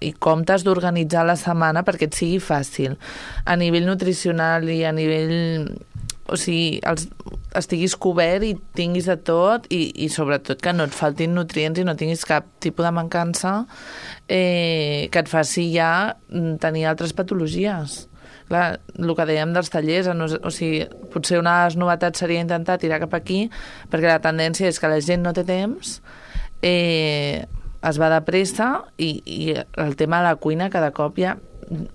i com t'has d'organitzar la setmana perquè et sigui fàcil a nivell nutricional i a nivell, o sigui, els, estiguis cobert i tinguis de tot i, i sobretot que no et faltin nutrients i no tinguis cap tipus de mancança eh, que et faci ja tenir altres patologies. Clar, el que dèiem dels tallers, o sigui, potser una de les novetats seria intentar tirar cap aquí, perquè la tendència és que la gent no té temps, eh, es va de pressa i, i el tema de la cuina cada cop hi ha,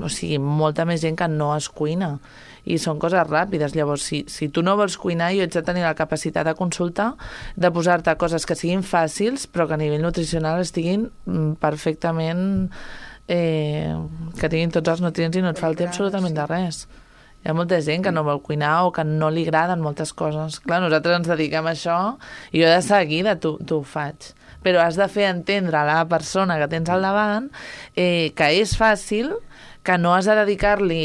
o sigui, molta més gent que no es cuina i són coses ràpides. Llavors, si, si tu no vols cuinar, jo ets de tenir la capacitat de consultar, de posar-te coses que siguin fàcils, però que a nivell nutricional estiguin perfectament... Eh, que tinguin tots els nutrients i no et falti absolutament de res. Hi ha molta gent que no vol cuinar o que no li agraden moltes coses. Clar, nosaltres ens dediquem a això i jo de seguida t'ho faig. Però has de fer entendre a la persona que tens al davant eh, que és fàcil, que no has de dedicar-li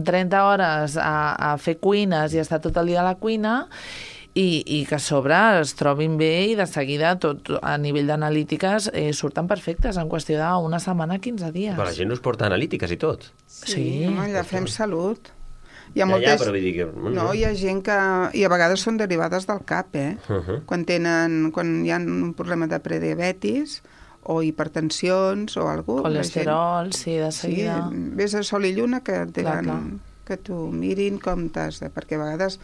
trenta hores a, a fer cuines i estar tot el dia a la cuina I, i que a sobre es trobin bé i de seguida tot a nivell d'analítiques eh, surten perfectes en qüestió d'una setmana, quinze dies. Però la gent us porta analítiques i tot. Sí, sí. Home, ja fem salut. Hi ha ja, moltes... ja, però vull dir que... No, hi ha gent que... I a vegades són derivades del cap, eh? Uh -huh. Quan tenen... Quan hi ha un problema de prediabetis o hipertensions o alguna cosa. Colesterol, gent... sí, de seguida. Sí, vés a Sol i Lluna que, clar, clar. que t'ho mirin com t'has de... Perquè a vegades...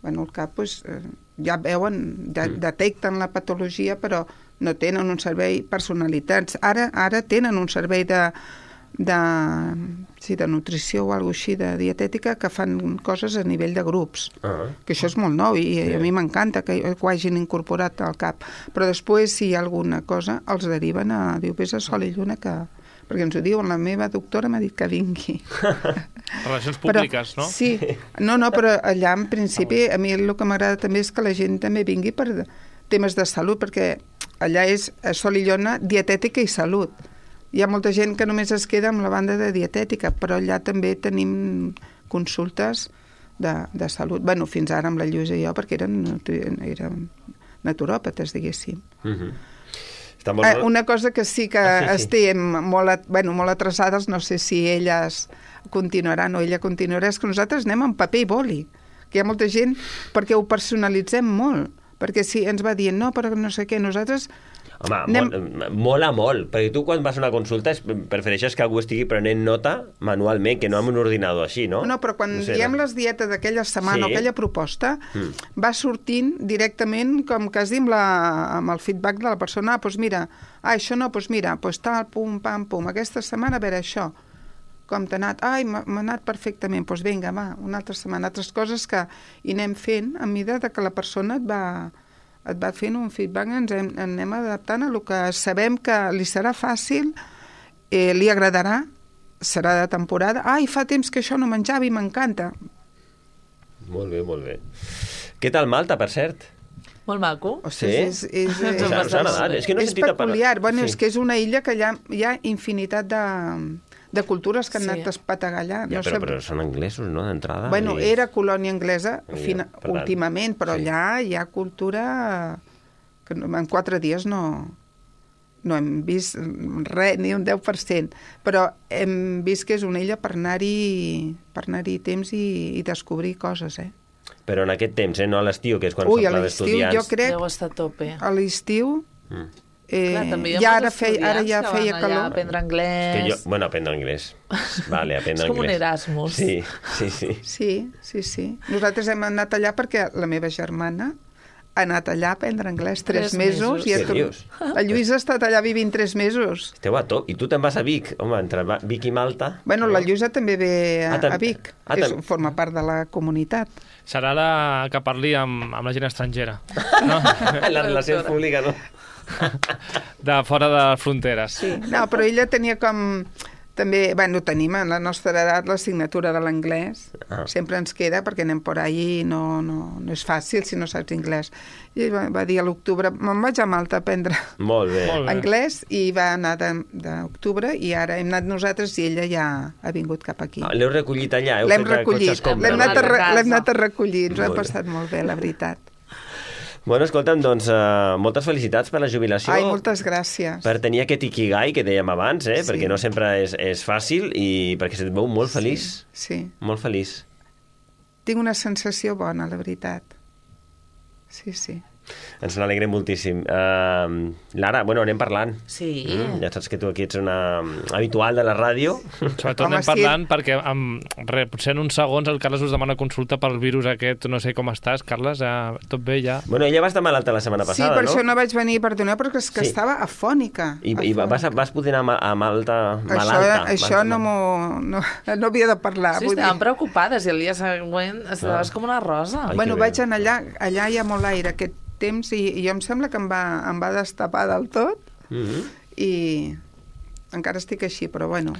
Bueno, el cap, pues, ja veuen, de, detecten la patologia, però no tenen un servei personalitzat. Ara, ara tenen un servei de de, sí, de nutrició o alguna així, de dietètica, que fan coses a nivell de grups. Ah. Que això és molt nou i sí. a mi m'encanta que, que ho hagin incorporat al cap. Però després, si hi ha alguna cosa, els deriven a... Diu, vés a Sol i Lluna, que... perquè ens ho diuen, la meva doctora m'ha dit que vingui. Relacions públiques, però, no? Sí, no, no, però allà en principi a mi el que m'agrada també és que la gent també vingui per temes de salut, perquè allà és a Sol i Lluna dietètica i salut. Hi ha molta gent que només es queda amb la banda de dietètica, però allà també tenim consultes de, de salut. Bueno, fins ara amb la Lluïsa i jo, perquè eren, eren naturòpates, diguéssim. Mhm. Està molt... Eh, una cosa que sí que ah, sí, sí. estem molt, at, bueno, molt atrasades, no sé si elles continuaran o ella continuarà, és que nosaltres anem amb paper i boli, que hi ha molta gent perquè ho personalitzem molt, perquè si ens va dient no, però no sé què, nosaltres... Home, anem... molt, mola molt, perquè tu quan vas a una consulta prefereixes que algú estigui prenent nota manualment, que no amb un ordinador així, no? No, però quan no sé, diem no? les dietes d'aquella setmana sí. o aquella proposta, mm. va sortint directament, com quasi amb, la, amb el feedback de la persona, ah, doncs mira, ah, això no, doncs mira, doncs tal, pum, pam, pum, aquesta setmana a veure això, com t'ha anat? Ai, m'ha anat perfectament, doncs vinga, va, una altra setmana, altres coses que hi anem fent a mesura que la persona et va... et va fent un feedback, ens hem, anem adaptant a el que sabem que li serà fàcil, eh, li agradarà, serà de temporada. Ai, fa temps que això no menjava i m'encanta. Molt bé, molt bé. Què tal Malta, per cert? Molt maco. O sigui, sí? és, és, és, és, és, és, és, que no és peculiar. Bueno, sí. És que és una illa que hi ha, hi ha infinitat de... de cultures que han sí. anat espetant allà. Ja, no però, sé... però són anglesos, no?, d'entrada. Bueno, i... era colònia anglesa ja, fina... últimament, però sí. allà hi ha cultura que en quatre dies no, no hem vist res, ni un deu per cent. Però hem vist que és una illa per anar-hi per anar-hi temps i, i descobrir coses, eh? Però en aquest temps, eh? No a l'estiu, que és quan Ui, fa pla d'estudiants. Jo crec... Deu estar a tope. A l'estiu... Mm. Eh, Clar, també hi ha ja molts ara, feia, ara ja que feia van calor. allà a aprendre anglès. Que jo, bueno, aprendre anglès. Vale, aprendre és com anglès. un Erasmus. Sí, sí, sí. Sí, sí, sí. Nosaltres hem anat allà perquè la meva germana ha anat allà a aprendre anglès tres, tres mesos. mesos. I Què dius? La Lluïsa ha estat allà vivint tres mesos. Esteu a top. I tu te'n vas a Vic? Home, entre Vic i Malta... Bueno, la Lluïsa també ve a, ah, a Vic, ah, que és, forma part de la comunitat. Serà la que parli amb, amb la gent estrangera. No? La relació pública, no? De fora de les fronteres. Sí, no, però ella tenia com... També, bueno, tenim a la nostra edat l'assignatura de l'anglès, ah. sempre ens queda perquè anem por ahí i no, no, no és fàcil si no saps anglès. I va, va dir a l'octubre, me'n vaig a Malta a aprendre Molt bé. anglès i va anar d'octubre i ara hem anat nosaltres i ella ja ha vingut cap aquí. Ah, l'heu recollit allà? L'hem recollit, l'hem anat, anat a recollir, ens ho hem passat molt bé, la veritat. Bueno, escolta'm, doncs, uh, moltes felicitats per la jubilació. Ai, moltes gràcies. Per tenir aquest ikigai que dèiem abans, eh? Sí. Perquè no sempre és, és fàcil i perquè se't veu molt feliç. Sí. Molt feliç. Tinc una sensació bona, la veritat. Sí, sí. Ens n'alegrem moltíssim. Uh, Lara, bueno, anem parlant. Sí. Mm, ja saps que tu aquí ets una habitual de la ràdio. Sobretot Home, anem parlant sí. perquè amb, re, potser en uns segons el Carles us demana consulta pel virus aquest, no sé com estàs, Carles, ja, tot bé ja? Bueno, ella va estar malalta la setmana passada, no? Sí, per no? això no vaig venir, perdoneu, perquè és que sí. estava afònica. I, afònica. i vas, vas poder anar a Malta malalta? Això, això no, no, no havia de parlar. Sí, estaven dir. preocupades i el dia següent estaves ah. com una rosa. Ai, bueno, vaig anar allà, allà hi ha molt aire, aquest temps, i, i jo em sembla que em va, em va destapar del tot, mm-hmm. i encara estic així, però bueno,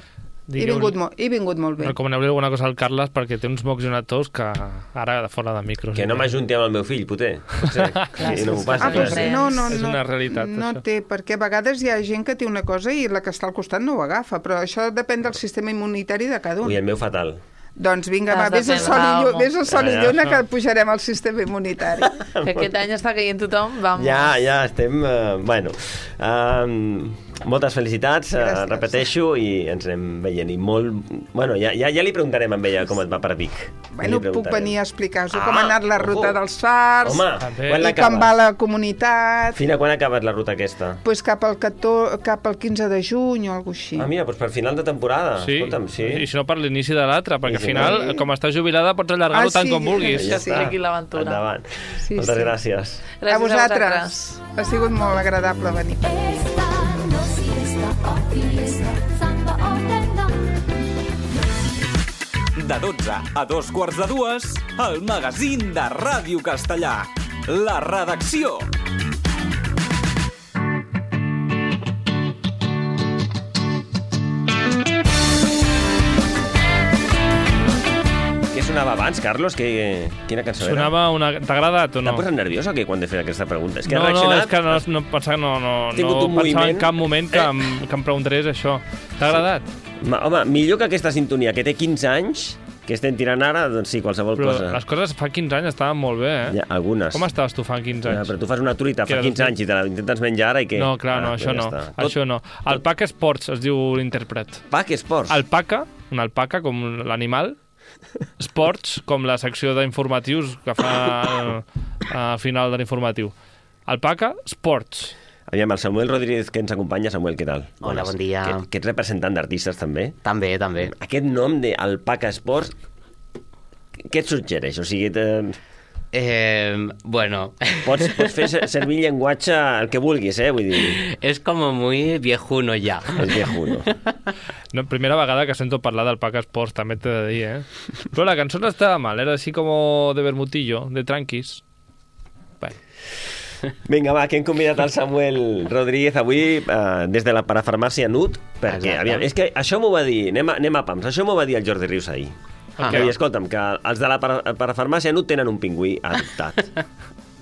he Digueu, vingut, mo he vingut molt bé. Recomaneu-li alguna cosa al Carles perquè té uns mocs i una tos que ara de fora de micros. Que no m'ajunti amb el meu fill, poter. Sí, sí, no m'ho passi. Ah, doncs, no, no, és no, una realitat, no això. té, perquè a vegades hi ha gent que té una cosa i la que està al costat no ho agafa, però això depèn del sistema immunitari de cada un. Ui, el meu fatal. Doncs vinga, va, vés al sol i lluna, vés al sol i lluna que pujarem al sistema immunitari. Que aquest any està caient tothom, vamos. Ja, ja estem... Uh, bueno, uh, moltes felicitats, uh, repeteixo, i ens anem veient. I molt... Bueno, ja, ja, ja li preguntarem a ella com et va per Vic. Bueno, ja puc venir a explicar-vos ah, com ha anat la ruta oh. dels fars, Home, i com va la comunitat. Fina, quan ha acabat la ruta aquesta? Pues cap al, catorze, cap al quinze de juny o alguna així. Ah, mira, doncs per final de temporada. Sí, Escolta'm, sí. I si no per l'inici de l'altre, perquè al final, sí. com estàs jubilada, pots allargar-ho ah, tant sí, com vulguis. Ja sí. Aquí l'aventura. Endavant. Sí, Moltes sí. gràcies. Gràcies a vosaltres. Ha sigut molt agradable venir per aquí. Esta no siesta o fiesta, samba o tendón. de dotze a dos quarts de dues, el magazín de Ràdio Castellà. La redacció. Què sonava abans, Carlos? Que, quina cançó era? Sonava una... T'ha agradat o no? T'ha posat nerviós o què quan de fer aquesta pregunta? És que no, ha reaccionat... no, és que no, no, pensava, no, no, no tingut un pensava moviment. en cap moment que, em, que em preguntaries això. T'ha agradat? Ma, home, millor que aquesta sintonia, que té quinze anys, que estem tirant ara, doncs sí, qualsevol Però cosa. les coses fa quinze anys estaven molt bé, eh? Ja, algunes. Com estaves tu fa quinze anys? Ja, però tu fas una truita Que fa era quinze anys i te la intentes menjar ara i què? No, clar, no, Ah, això ja no. està. Això no. Alpaca Sports es diu l'intèrpret. Pac Sports? Alpaca, una alpaca com l'animal, Sports, com la secció d'informatius que fa a final de l'informatiu. Alpaca Sports. Aviam, el Samuel Rodríguez que ens acompanya. Samuel, què tal? Hola, bon dia. Que, que ets representant d'artistes, també? També, també. Aquest nom d'Alpaca Sports, què et suggereix? O sigui, te... Eh, bueno... Pots, pots fer servir llenguatge el que vulguis, eh? Vull dir... És com muy viejuno ja. És viejuno. No, primera vegada que sento parlar d'Alpaca Sports, també t'he de dir, eh? Però la cançó no estava mal, era així com de vermutillo, de tranquis. Bueno. Vinga, va, que hem convidat el Samuel Rodríguez avui eh, des de la parafarmàcia Nut, perquè, Exacte. aviam, és que això m'ho va dir, anem a, anem a pams, això m'ho va dir el Jordi Rius ahir. Ah. Que, escolta'm, que els de la para, parafarmàcia Nut tenen un pingüí adoptat.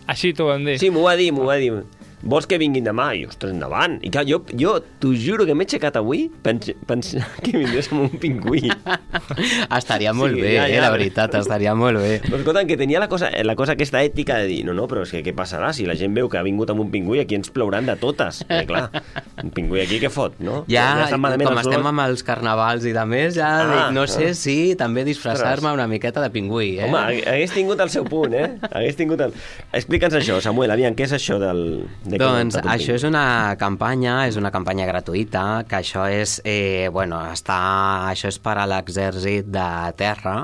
Així t'ho van dir? Sí, m'ho va dir, m'ho va dir. Vols que vinguin demà? I, ostres, endavant. I clar, jo, jo t'ho juro que m'he aixecat avui pensant pens que vindries amb un pingüí. Estaria molt Sí, bé, ja, ja. eh, la veritat, estaria molt bé. Però escolta'm, que tenia la cosa, la cosa aquesta ètica de dir, no, no, però és que què passarà? Si la gent veu que ha vingut amb un pingüí, aquí ens plouran de totes. Eh, clar, un pingüí aquí què fot, no? Ja, estan malament com els estem olors. amb els carnavals i de més, ja Ah, dic, no sé ah. si també disfressar-me una miqueta de pingüí, eh? Home, hagués tingut el seu punt, eh? Hagués tingut el... Explica'ns això, Samuel, aviam, què és això del... De Doncs això és una campanya, és una campanya gratuïta, que això és, eh, bueno, està, això és per a l'exèrcit de terra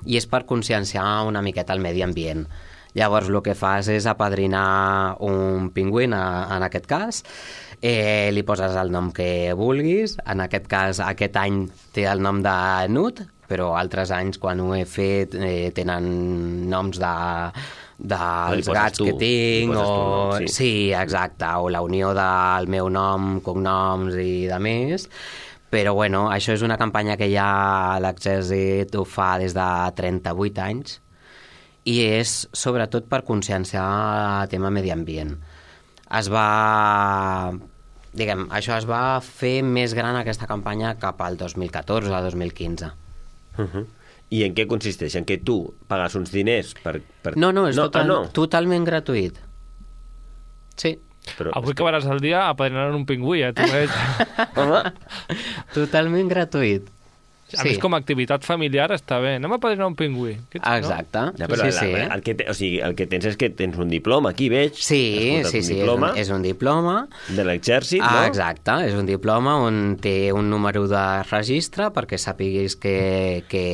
i és per conscienciar una miqueta el medi ambient. Llavors, el que fas és apadrinar un pingüí, en, en aquest cas, eh, li poses el nom que vulguis, en aquest cas, aquest any té el nom de Nut, però altres anys, quan ho he fet, eh, tenen noms de dels poses gats tu, que tinc, li poses tu el o... nom, sí. sí, exacte, o la unió del meu nom, cognoms i de més. Però, bueno, això és una campanya que ja l'exèrcit ho fa des de trenta-vuit anys i és sobretot per conscienciar el tema medi ambient. Es va... Diguem, això es va fer més gran aquesta campanya cap al dos mil catorze o dos mil quinze. Uh-huh. I en què consisteix? En què tu pagues uns diners per... per... No, no, és no, total, ah, no. totalment gratuït. Sí. Però, Avui acabaràs el dia apadrinant un pingüí, eh? Tu veig. Home, totalment gratuït. A sí. més, com a activitat familiar està bé. Anem a apadrinar un pingüí. Exacte. No? Ja, però sí, la, sí. la, el, que te, o sigui, el que tens és que tens un diploma, aquí veig. Sí, sí, sí, és un, és un diploma. De l'exèrcit, ah, no? Exacte, és un diploma on té un número de registre perquè sapiguis que, que,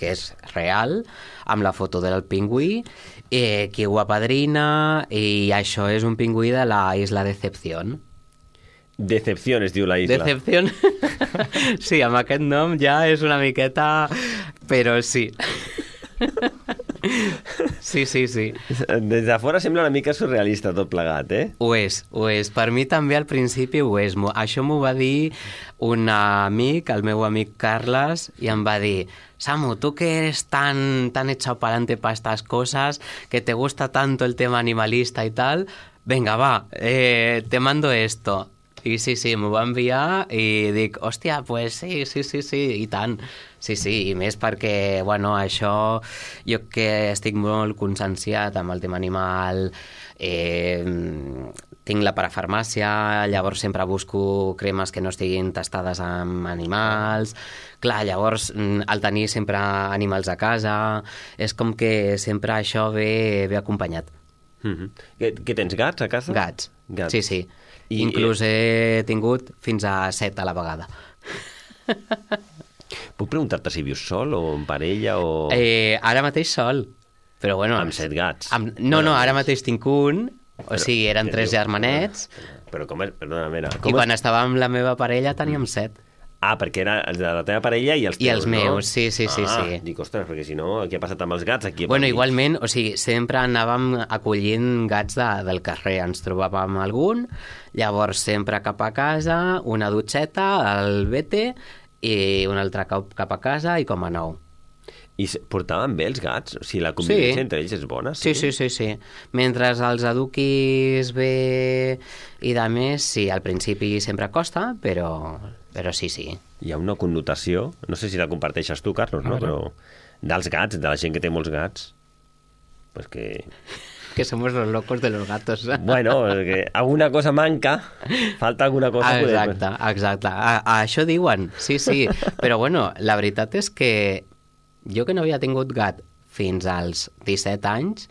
que és real, amb la foto del pingüí, eh, qui ho apadrina, i això és un pingüí de la Isla Decepción. Decepción es diu la isla. Decepción. Sí, amb aquest nom ja és una miqueta... Però sí. Sí, sí, sí. Des de fora sembla una mica surrealista tot plegat, eh? Ho és, ho és. Per mi també al principi ho és. Això m'ho va dir un amic, el meu amic Carles, i em va dir: Samu, tú que eres tan, tan echado para adelante para estas cosas, que te gusta tanto el tema animalista y tal, venga, va, eh, te mando esto. I sí, sí, m'ho va enviar i dic, hòstia, pues sí, sí, sí, sí, i tant. Sí, sí, i més perquè, bueno, això, jo que estic molt conscienciat amb el tema animal, eh, tinc la parafarmàcia, llavors sempre busco cremes que no estiguin testades amb animals. Clar, llavors, al tenir sempre animals a casa, és com que sempre això ve, ve acompanyat. Mm-hmm. Que, que tens gats a casa? Gats, gats. sí, sí. I, Inclús he tingut fins a set a la vegada. Puc preguntar-te si vius sol o en parella o... Eh, ara mateix sol, però bueno... Amb set gats. Amb... No, no, ara mateix tinc un, o sigui, eren tres germanets. Però com és... Perdona, mira... Com I quan és... estava amb la meva parella teníem set. Ah, perquè era els de la teva parella i els teus, I els meus, no? sí, sí, sí, ah, sí. Dic, ostres, perquè si no, què ha passat amb els gats aquí? Bueno, igualment, o sigui, sempre anàvem acollint gats de, del carrer, ens trobàvem algun, llavors sempre cap a casa, una dutxeta, el vete, i un altre cap, cap a casa i com a nou. I portaven bé els gats? O sigui, la convivència sí. entre ells és bona? Sí, sí, sí, sí. Mentre els eduquis bé i de més, sí, al principi sempre costa, però, però sí, sí. Hi ha una connotació, no sé si la comparteixes tu, Carlos, no? Però dels gats, de la gent que té molts gats, pues que... Que somos los locos de los gatos. Bueno, que alguna cosa manca, falta alguna cosa... Exacte, poder... exacte. A, a això diuen, sí, sí. Però bueno, la veritat és que jo que no havia tingut gat fins als disset anys,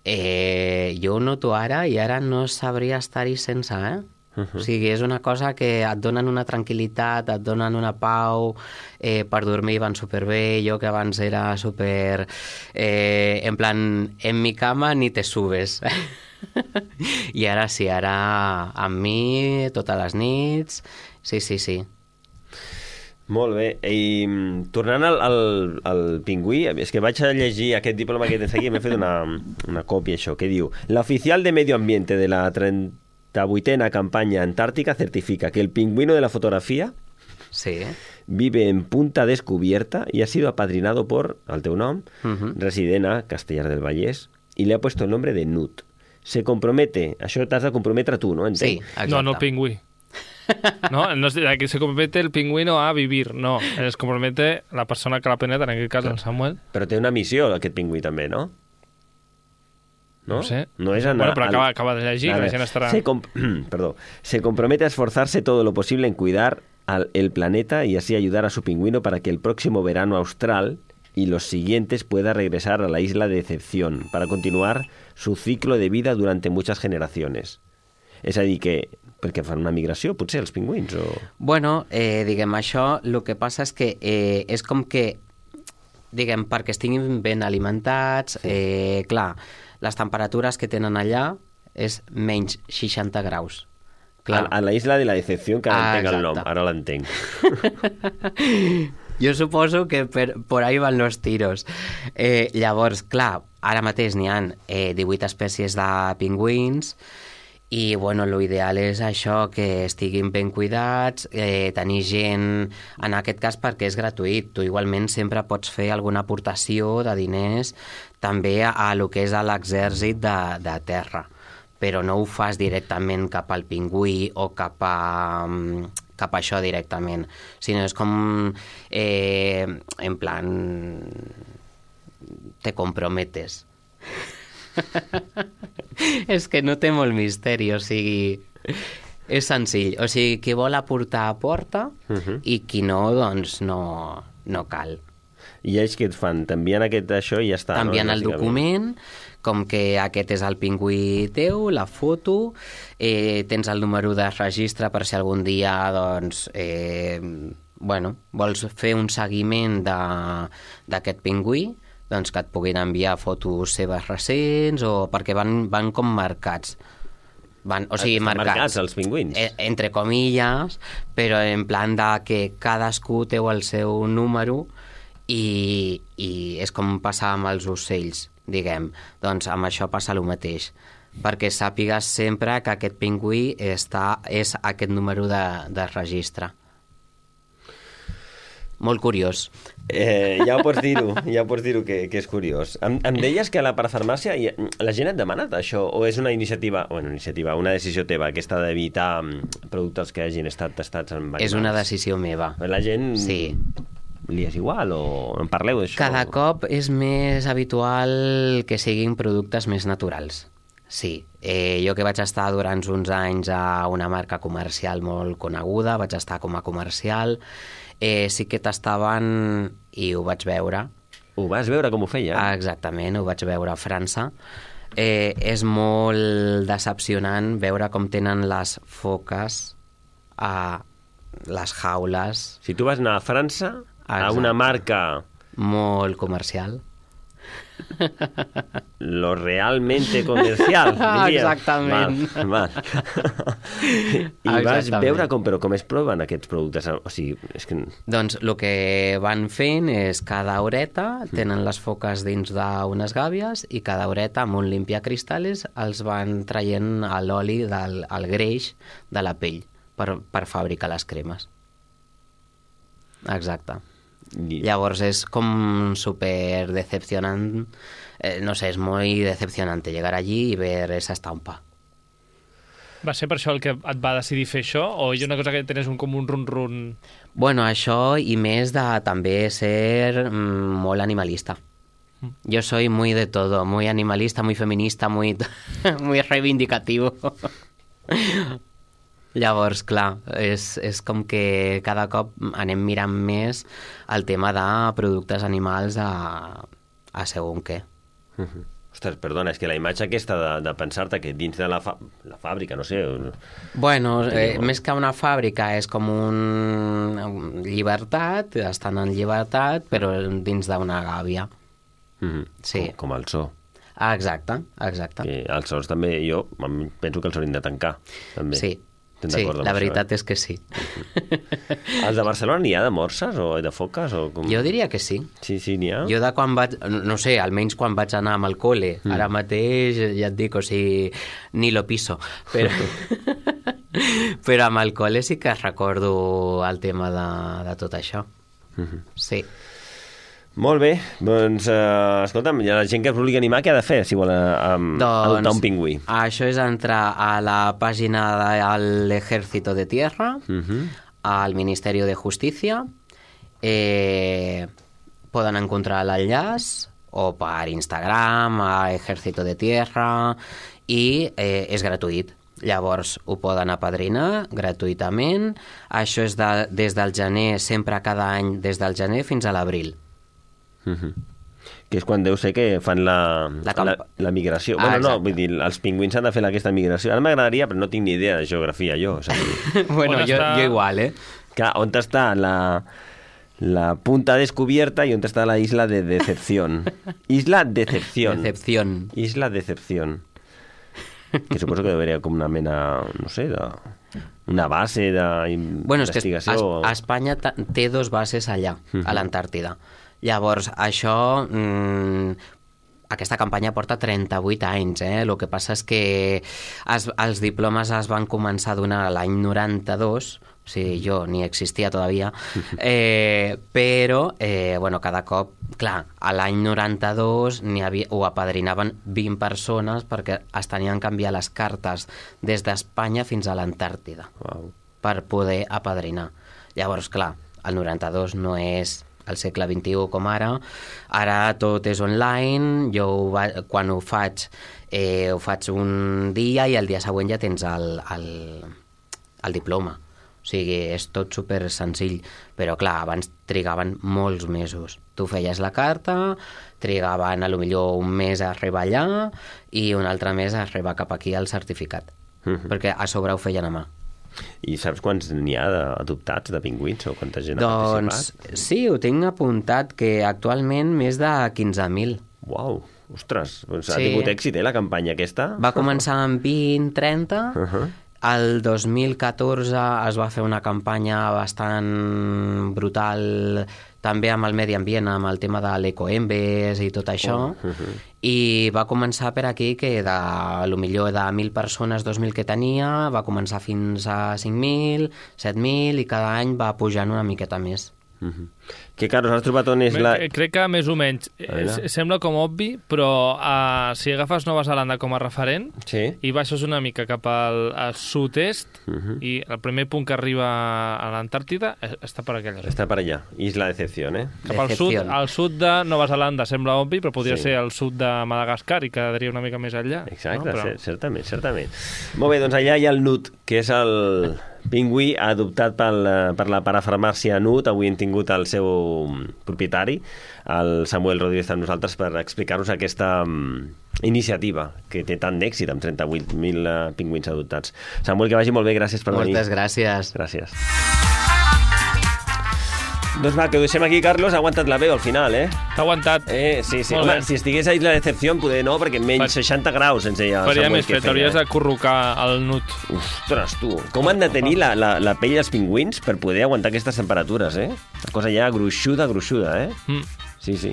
eh, jo ho noto ara i ara no sabria estar-hi sense, eh? Uh-huh. O sigui, és una cosa que et donen una tranquil·litat, et donen una pau, eh, per dormir van superbé, jo que abans era super... Eh, en plan, en mi cama ni te subes. I ara sí, ara amb mi, totes les nits, sí, sí, sí. Molt bé. I tornant al, al, al pingüí, és que vaig a llegir aquest diploma que tens aquí, m'he fet una, una còpia, això, que diu: la oficial de Medio Ambiente de la treinta vuitena campaña antártica certifica que el pingüino de la fotografía sí. vive en Punta Descubierta y ha sido apadrinado por, al teu nom, uh-huh. resident a Castellar del Vallès, y le ha puesto el nombre de Nut. Se compromete, això t'has de comprometre tu, no? Entenc? Sí, exacte. No, no el pingüí. No, no es, que se compromete el pingüino a vivir, no, es compromete la persona que la penetra, en aquest cas el Samuel. Però té una missió aquest pingüí també, no? No, no sé. No és anar, bueno, però acaba, acaba de llegir, que la gent estarà... Se, comp Perdó. Se compromete a esforzarse todo lo posible en cuidar al, el planeta y así ayudar a su pingüino para que el próximo verano austral y los siguientes pueda regresar a la isla de Decepción para continuar su ciclo de vida durante muchas generaciones. És a dir, que perquè fan una migració, potser, els pingüins? O... Bueno, eh, diguem, això, el que passa és que eh, és com que, diguem, perquè estiguin ben alimentats, eh, clar, les temperatures que tenen allà és menys seixanta graus. Clar. A, a la isla de la Decepció, que ah, entenc el nom, ara l'entenc. Jo suposo que per, por ahí van los tiros. Eh, llavors, clar, ara mateix n'hi ha eh, divuit espècies de pingüins, i bueno, l'ideal és això, que estiguin ben cuidats, eh, tenir gent, en aquest cas perquè és gratuït, tu igualment sempre pots fer alguna aportació de diners també a, a lo que és a l'exèrcit de, de terra, però no ho fas directament cap al pingüí o cap a, cap a això directament, sinó és com eh, en plan te comprometes. És que no té molt misteri, o sigui, és senzill. O sigui, qui vol aportar, aporta, uh-huh. i qui no, doncs no, no cal. I ells què et fan? T'envien aquest això i ja està, T'envien no? el document, com que aquest és el pingüí teu, la foto, eh, tens el número de registre per si algun dia, doncs, eh, bueno, vols fer un seguiment d'aquest pingüí, doncs que et puguin enviar fotos seves recents, o perquè van, van com marcats. Van, o sigui, Estan marcats. marcats els pingüins. Eh, entre comilles, però en plan de que cadascú té el seu número i, i és com passar amb els ocells, diguem. Doncs amb això passa el mateix, perquè sàpigues sempre que aquest pingüí està, és aquest número de, de registre. Molt curiós. Eh, ja ho pots dir-ho, ja ho pots dir-ho que, que és curiós. Em, em deies que a la parafarmàcia la gent et demana això, o és una iniciativa, bueno, iniciativa, una decisió teva, aquesta d'evitar productes que hagin estat testats amb animals? És una decisió meva. La gent... Sí. Li és igual o en parleu d'això? Cada cop és més habitual que siguin productes més naturals. Sí. Eh, jo que vaig estar durant uns anys a una marca comercial molt coneguda, vaig estar com a comercial, eh, sí que tastaven i ho vaig veure. Ho vas veure com ho feia? Ah, exactament, ho vaig veure a França. Eh, és molt decepcionant veure com tenen les foques a les jaules. Si tu vas anar a França, a una marca... molt comercial. lo realmente comercial, diria. Exactament. Val, val. I vas Exactament. veure com, però com es proven aquests productes? O sigui, és que... Doncs el que van fent és cada horeta tenen les foques dins d'unes gàbies i cada horeta amb un limpiacristales els van traient l'oli del el greix de la pell per, per fabricar les cremes. Exacte. I... Llavors és com súper decepcionant, eh, no sé, es muy decepcionante llegar allí y ver esa estampa. Va ser per això el que et va decidir fer això o hi ha una cosa que tens un, com un run-run? Bueno, això i més de també ser mm, molt animalista. Mm. Yo soy muy de todo, muy animalista, muy feminista, muy, muy reivindicativo. Llavors, clar, és, és com que cada cop anem mirant més el tema de productes animals a, a segon què. Uh-huh. Ostres, perdona, és que la imatge aquesta de, de pensar-te que dins de la, fa la fàbrica, no sé... Bueno, eh, més que una fàbrica és com un llibertat, estan en llibertat, però dins d'una gàbia. Uh-huh. Sí. Com, com el zoo. Ah, exacte, exacte. Que els zoos també, jo penso que els haurien de tancar. També. Sí. Sí, la veritat això, eh? és que sí. Els de Barcelona n'hi ha de morses o de foques? O com... Jo diria que sí. Sí, sí, n'hi ha. Jo de quan vaig, no sé, almenys quan vaig anar amb el col·le, mm. ara mateix, ja et dic, o sigui, ni lo piso, però, però amb el col·le sí que recordo el tema de, de tot això. Mm-hmm. Sí. Molt bé, doncs, uh, escolta'm, la gent que es vulgui animar, què ha de fer si vol uh, um, doncs, adoptar un pingüí? Això és entrar a la pàgina del Ejército de Tierra, uh-huh. al Ministerio de Justicia, eh, poden encontrar l'enllaç o per Instagram, a Ejército de Tierra, i eh, és gratuït. Llavors ho poden apadrinar gratuïtament. Això és de, des del gener, sempre cada any, des del gener fins a l'abril. Uh-huh. Que és quan deu ser que fan la, la, la, la migració. Ah, bueno, no, vull dir, els pingüins han de fer aquesta migració. Ara m'agradaria, però no tinc ni idea de geografia, jo. O sigui... bueno, jo, jo igual, eh? Clar, on està la, la punta descubierta i on està la isla de Decepción? Isla Decepción. Decepción. Isla Decepción. Que suposo que debería com una mena, no sé, de... una base d'investigació. Bueno, és que a, a Espanya té dos bases allà, uh-huh. a l'Antàrtida. Llavors, això... Mmm, aquesta campanya porta trenta-vuit anys, eh? El que passa és que es, els diplomes es van començar a donar l'any noranta-dos, o sigui, jo ni existia todavía, eh, però, eh, bueno, cada cop, clar, a l'any noranta-dos n'hi havia, ho apadrinaven vint persones perquè es tenien que canviar les cartes des d'Espanya fins a l'Antàrtida wow. per poder apadrinar. Llavors, clar, el noranta-dos no és al segle vint-i-u com ara, ara tot és online, jo ho va, quan ho faig, eh, ho faig un dia i el dia següent ja tens el, el, el diploma. O sigui, és tot super senzill, però clar, abans trigaven molts mesos. Tu feies la carta, trigaven a lo millor un mes a arribar allà i un altre mes a arribar cap aquí al certificat, uh-huh. perquè a sobre ho feien a mà. I saps quants n'hi ha adoptats de pingüins o quanta gent doncs, ha participat? Sí, ho tinc apuntat, que actualment més de quinze mil. Uau, ostres, doncs sí. Ha tingut èxit, eh, la campanya aquesta? Va començar amb vint, trenta, uh-huh. El dos mil catorze es va fer una campanya bastant brutal, també amb el medi ambient, amb el tema de l'ecoembes i tot això, oh. uh-huh. i va començar per aquí que de, lo millor de mil persones, dos mil que tenia, va començar fins a cinc mil, set mil, i cada any va pujant una miqueta més. Uh-huh. Que, Carlos, has trobat on és la... Crec que més o menys sembla com obvi, però uh, si agafes Nova Zelanda com a referent sí. i baixes una mica cap al, al sud-est uh-huh. i el primer punt que arriba a l'Antàrtida està per aquella zona. Està per allà, Isla Decepción, eh? Cap al sud, al sud de Nova Zelanda sembla obvi, però podria sí. ser al sud de Madagascar i quedaria una mica més enllà. Exacte, no? Però... certament, certament. Molt bé, doncs allà hi ha el Nut, que és el pingüí adoptat pel, per la parafarmàcia Nut. Avui hem tingut el seu propietari, el Samuel Rodríguez, amb nosaltres per explicar-nos aquesta um, iniciativa que té tant d'èxit amb trenta-vuit mil uh, pingüins adoptats. Samuel, que vagi molt bé, gràcies per Moltes venir. Moltes gràcies. Gràcies. Doncs va, que ho deixem aquí, Carlos. Ha aguantat la veu al final, eh? T'ha aguantat. Eh, sí, sí. Molt Home, bé. si estigués ahí la decepció, poder no, perquè menys seixanta graus ens deia el Faria Samuel més que fred, feia, hauries eh? de corrucar el nut. Ostres, tu, com han de tenir la, la, la pell dels pingüins per poder aguantar aquestes temperatures, eh? Una cosa ja gruixuda, gruixuda, eh? Mm. Sí, sí.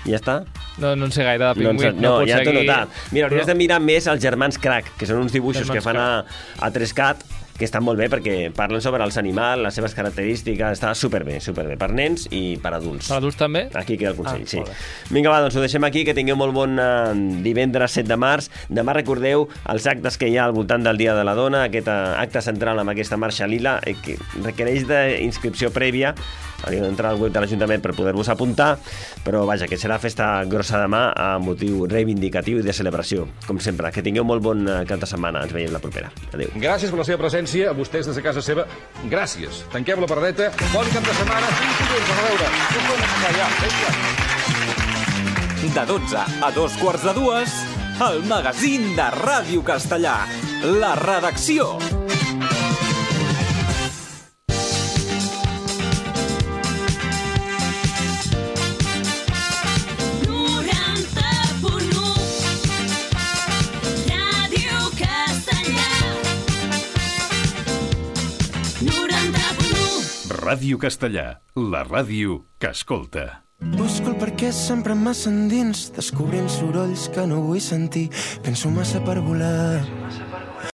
Ja està? No, no en sé gaire de pingüins. No, puc ja t'ho he seguir- notat. Mira, hauries Però- de mirar més els germans Crac, que són uns dibuixos Germans que fan a, a tres cat, que estan molt bé perquè parlen sobre els animals, les seves característiques, està superbé, superbé, per nens i per adults. Per adults també? Aquí queda el consell, Ah, sí. molt bé. Vinga, va, doncs ho deixem aquí, que tingueu molt bon eh, divendres set de març. Demà recordeu els actes que hi ha al voltant del Dia de la Dona, aquest eh, acte central amb aquesta marxa lila, eh, que requereix d'inscripció prèvia. Hauríeu d'entrar al web de l'Ajuntament per poder-vos apuntar, però vaja, que serà festa grossa demà a motiu reivindicatiu i de celebració. Com sempre, que tingueu molt bon eh, cap de setmana. Ens veiem la propera. Adéu. Gràcies per la seva presència, a vostès des de casa seva. Gràcies. Tanquem la paradeta. Bon cap de setmana. Fins dilluns. A veure. No podem anar ja. Vinga. De dotze a dos quarts de dues, el magazín de Ràdio Castellà. La redacció. Ràdio Castellà, la ràdio que escolta. Busco el perquè sempre massa endins, descobrint sorolls que no vull sentir. Penso massa per volar.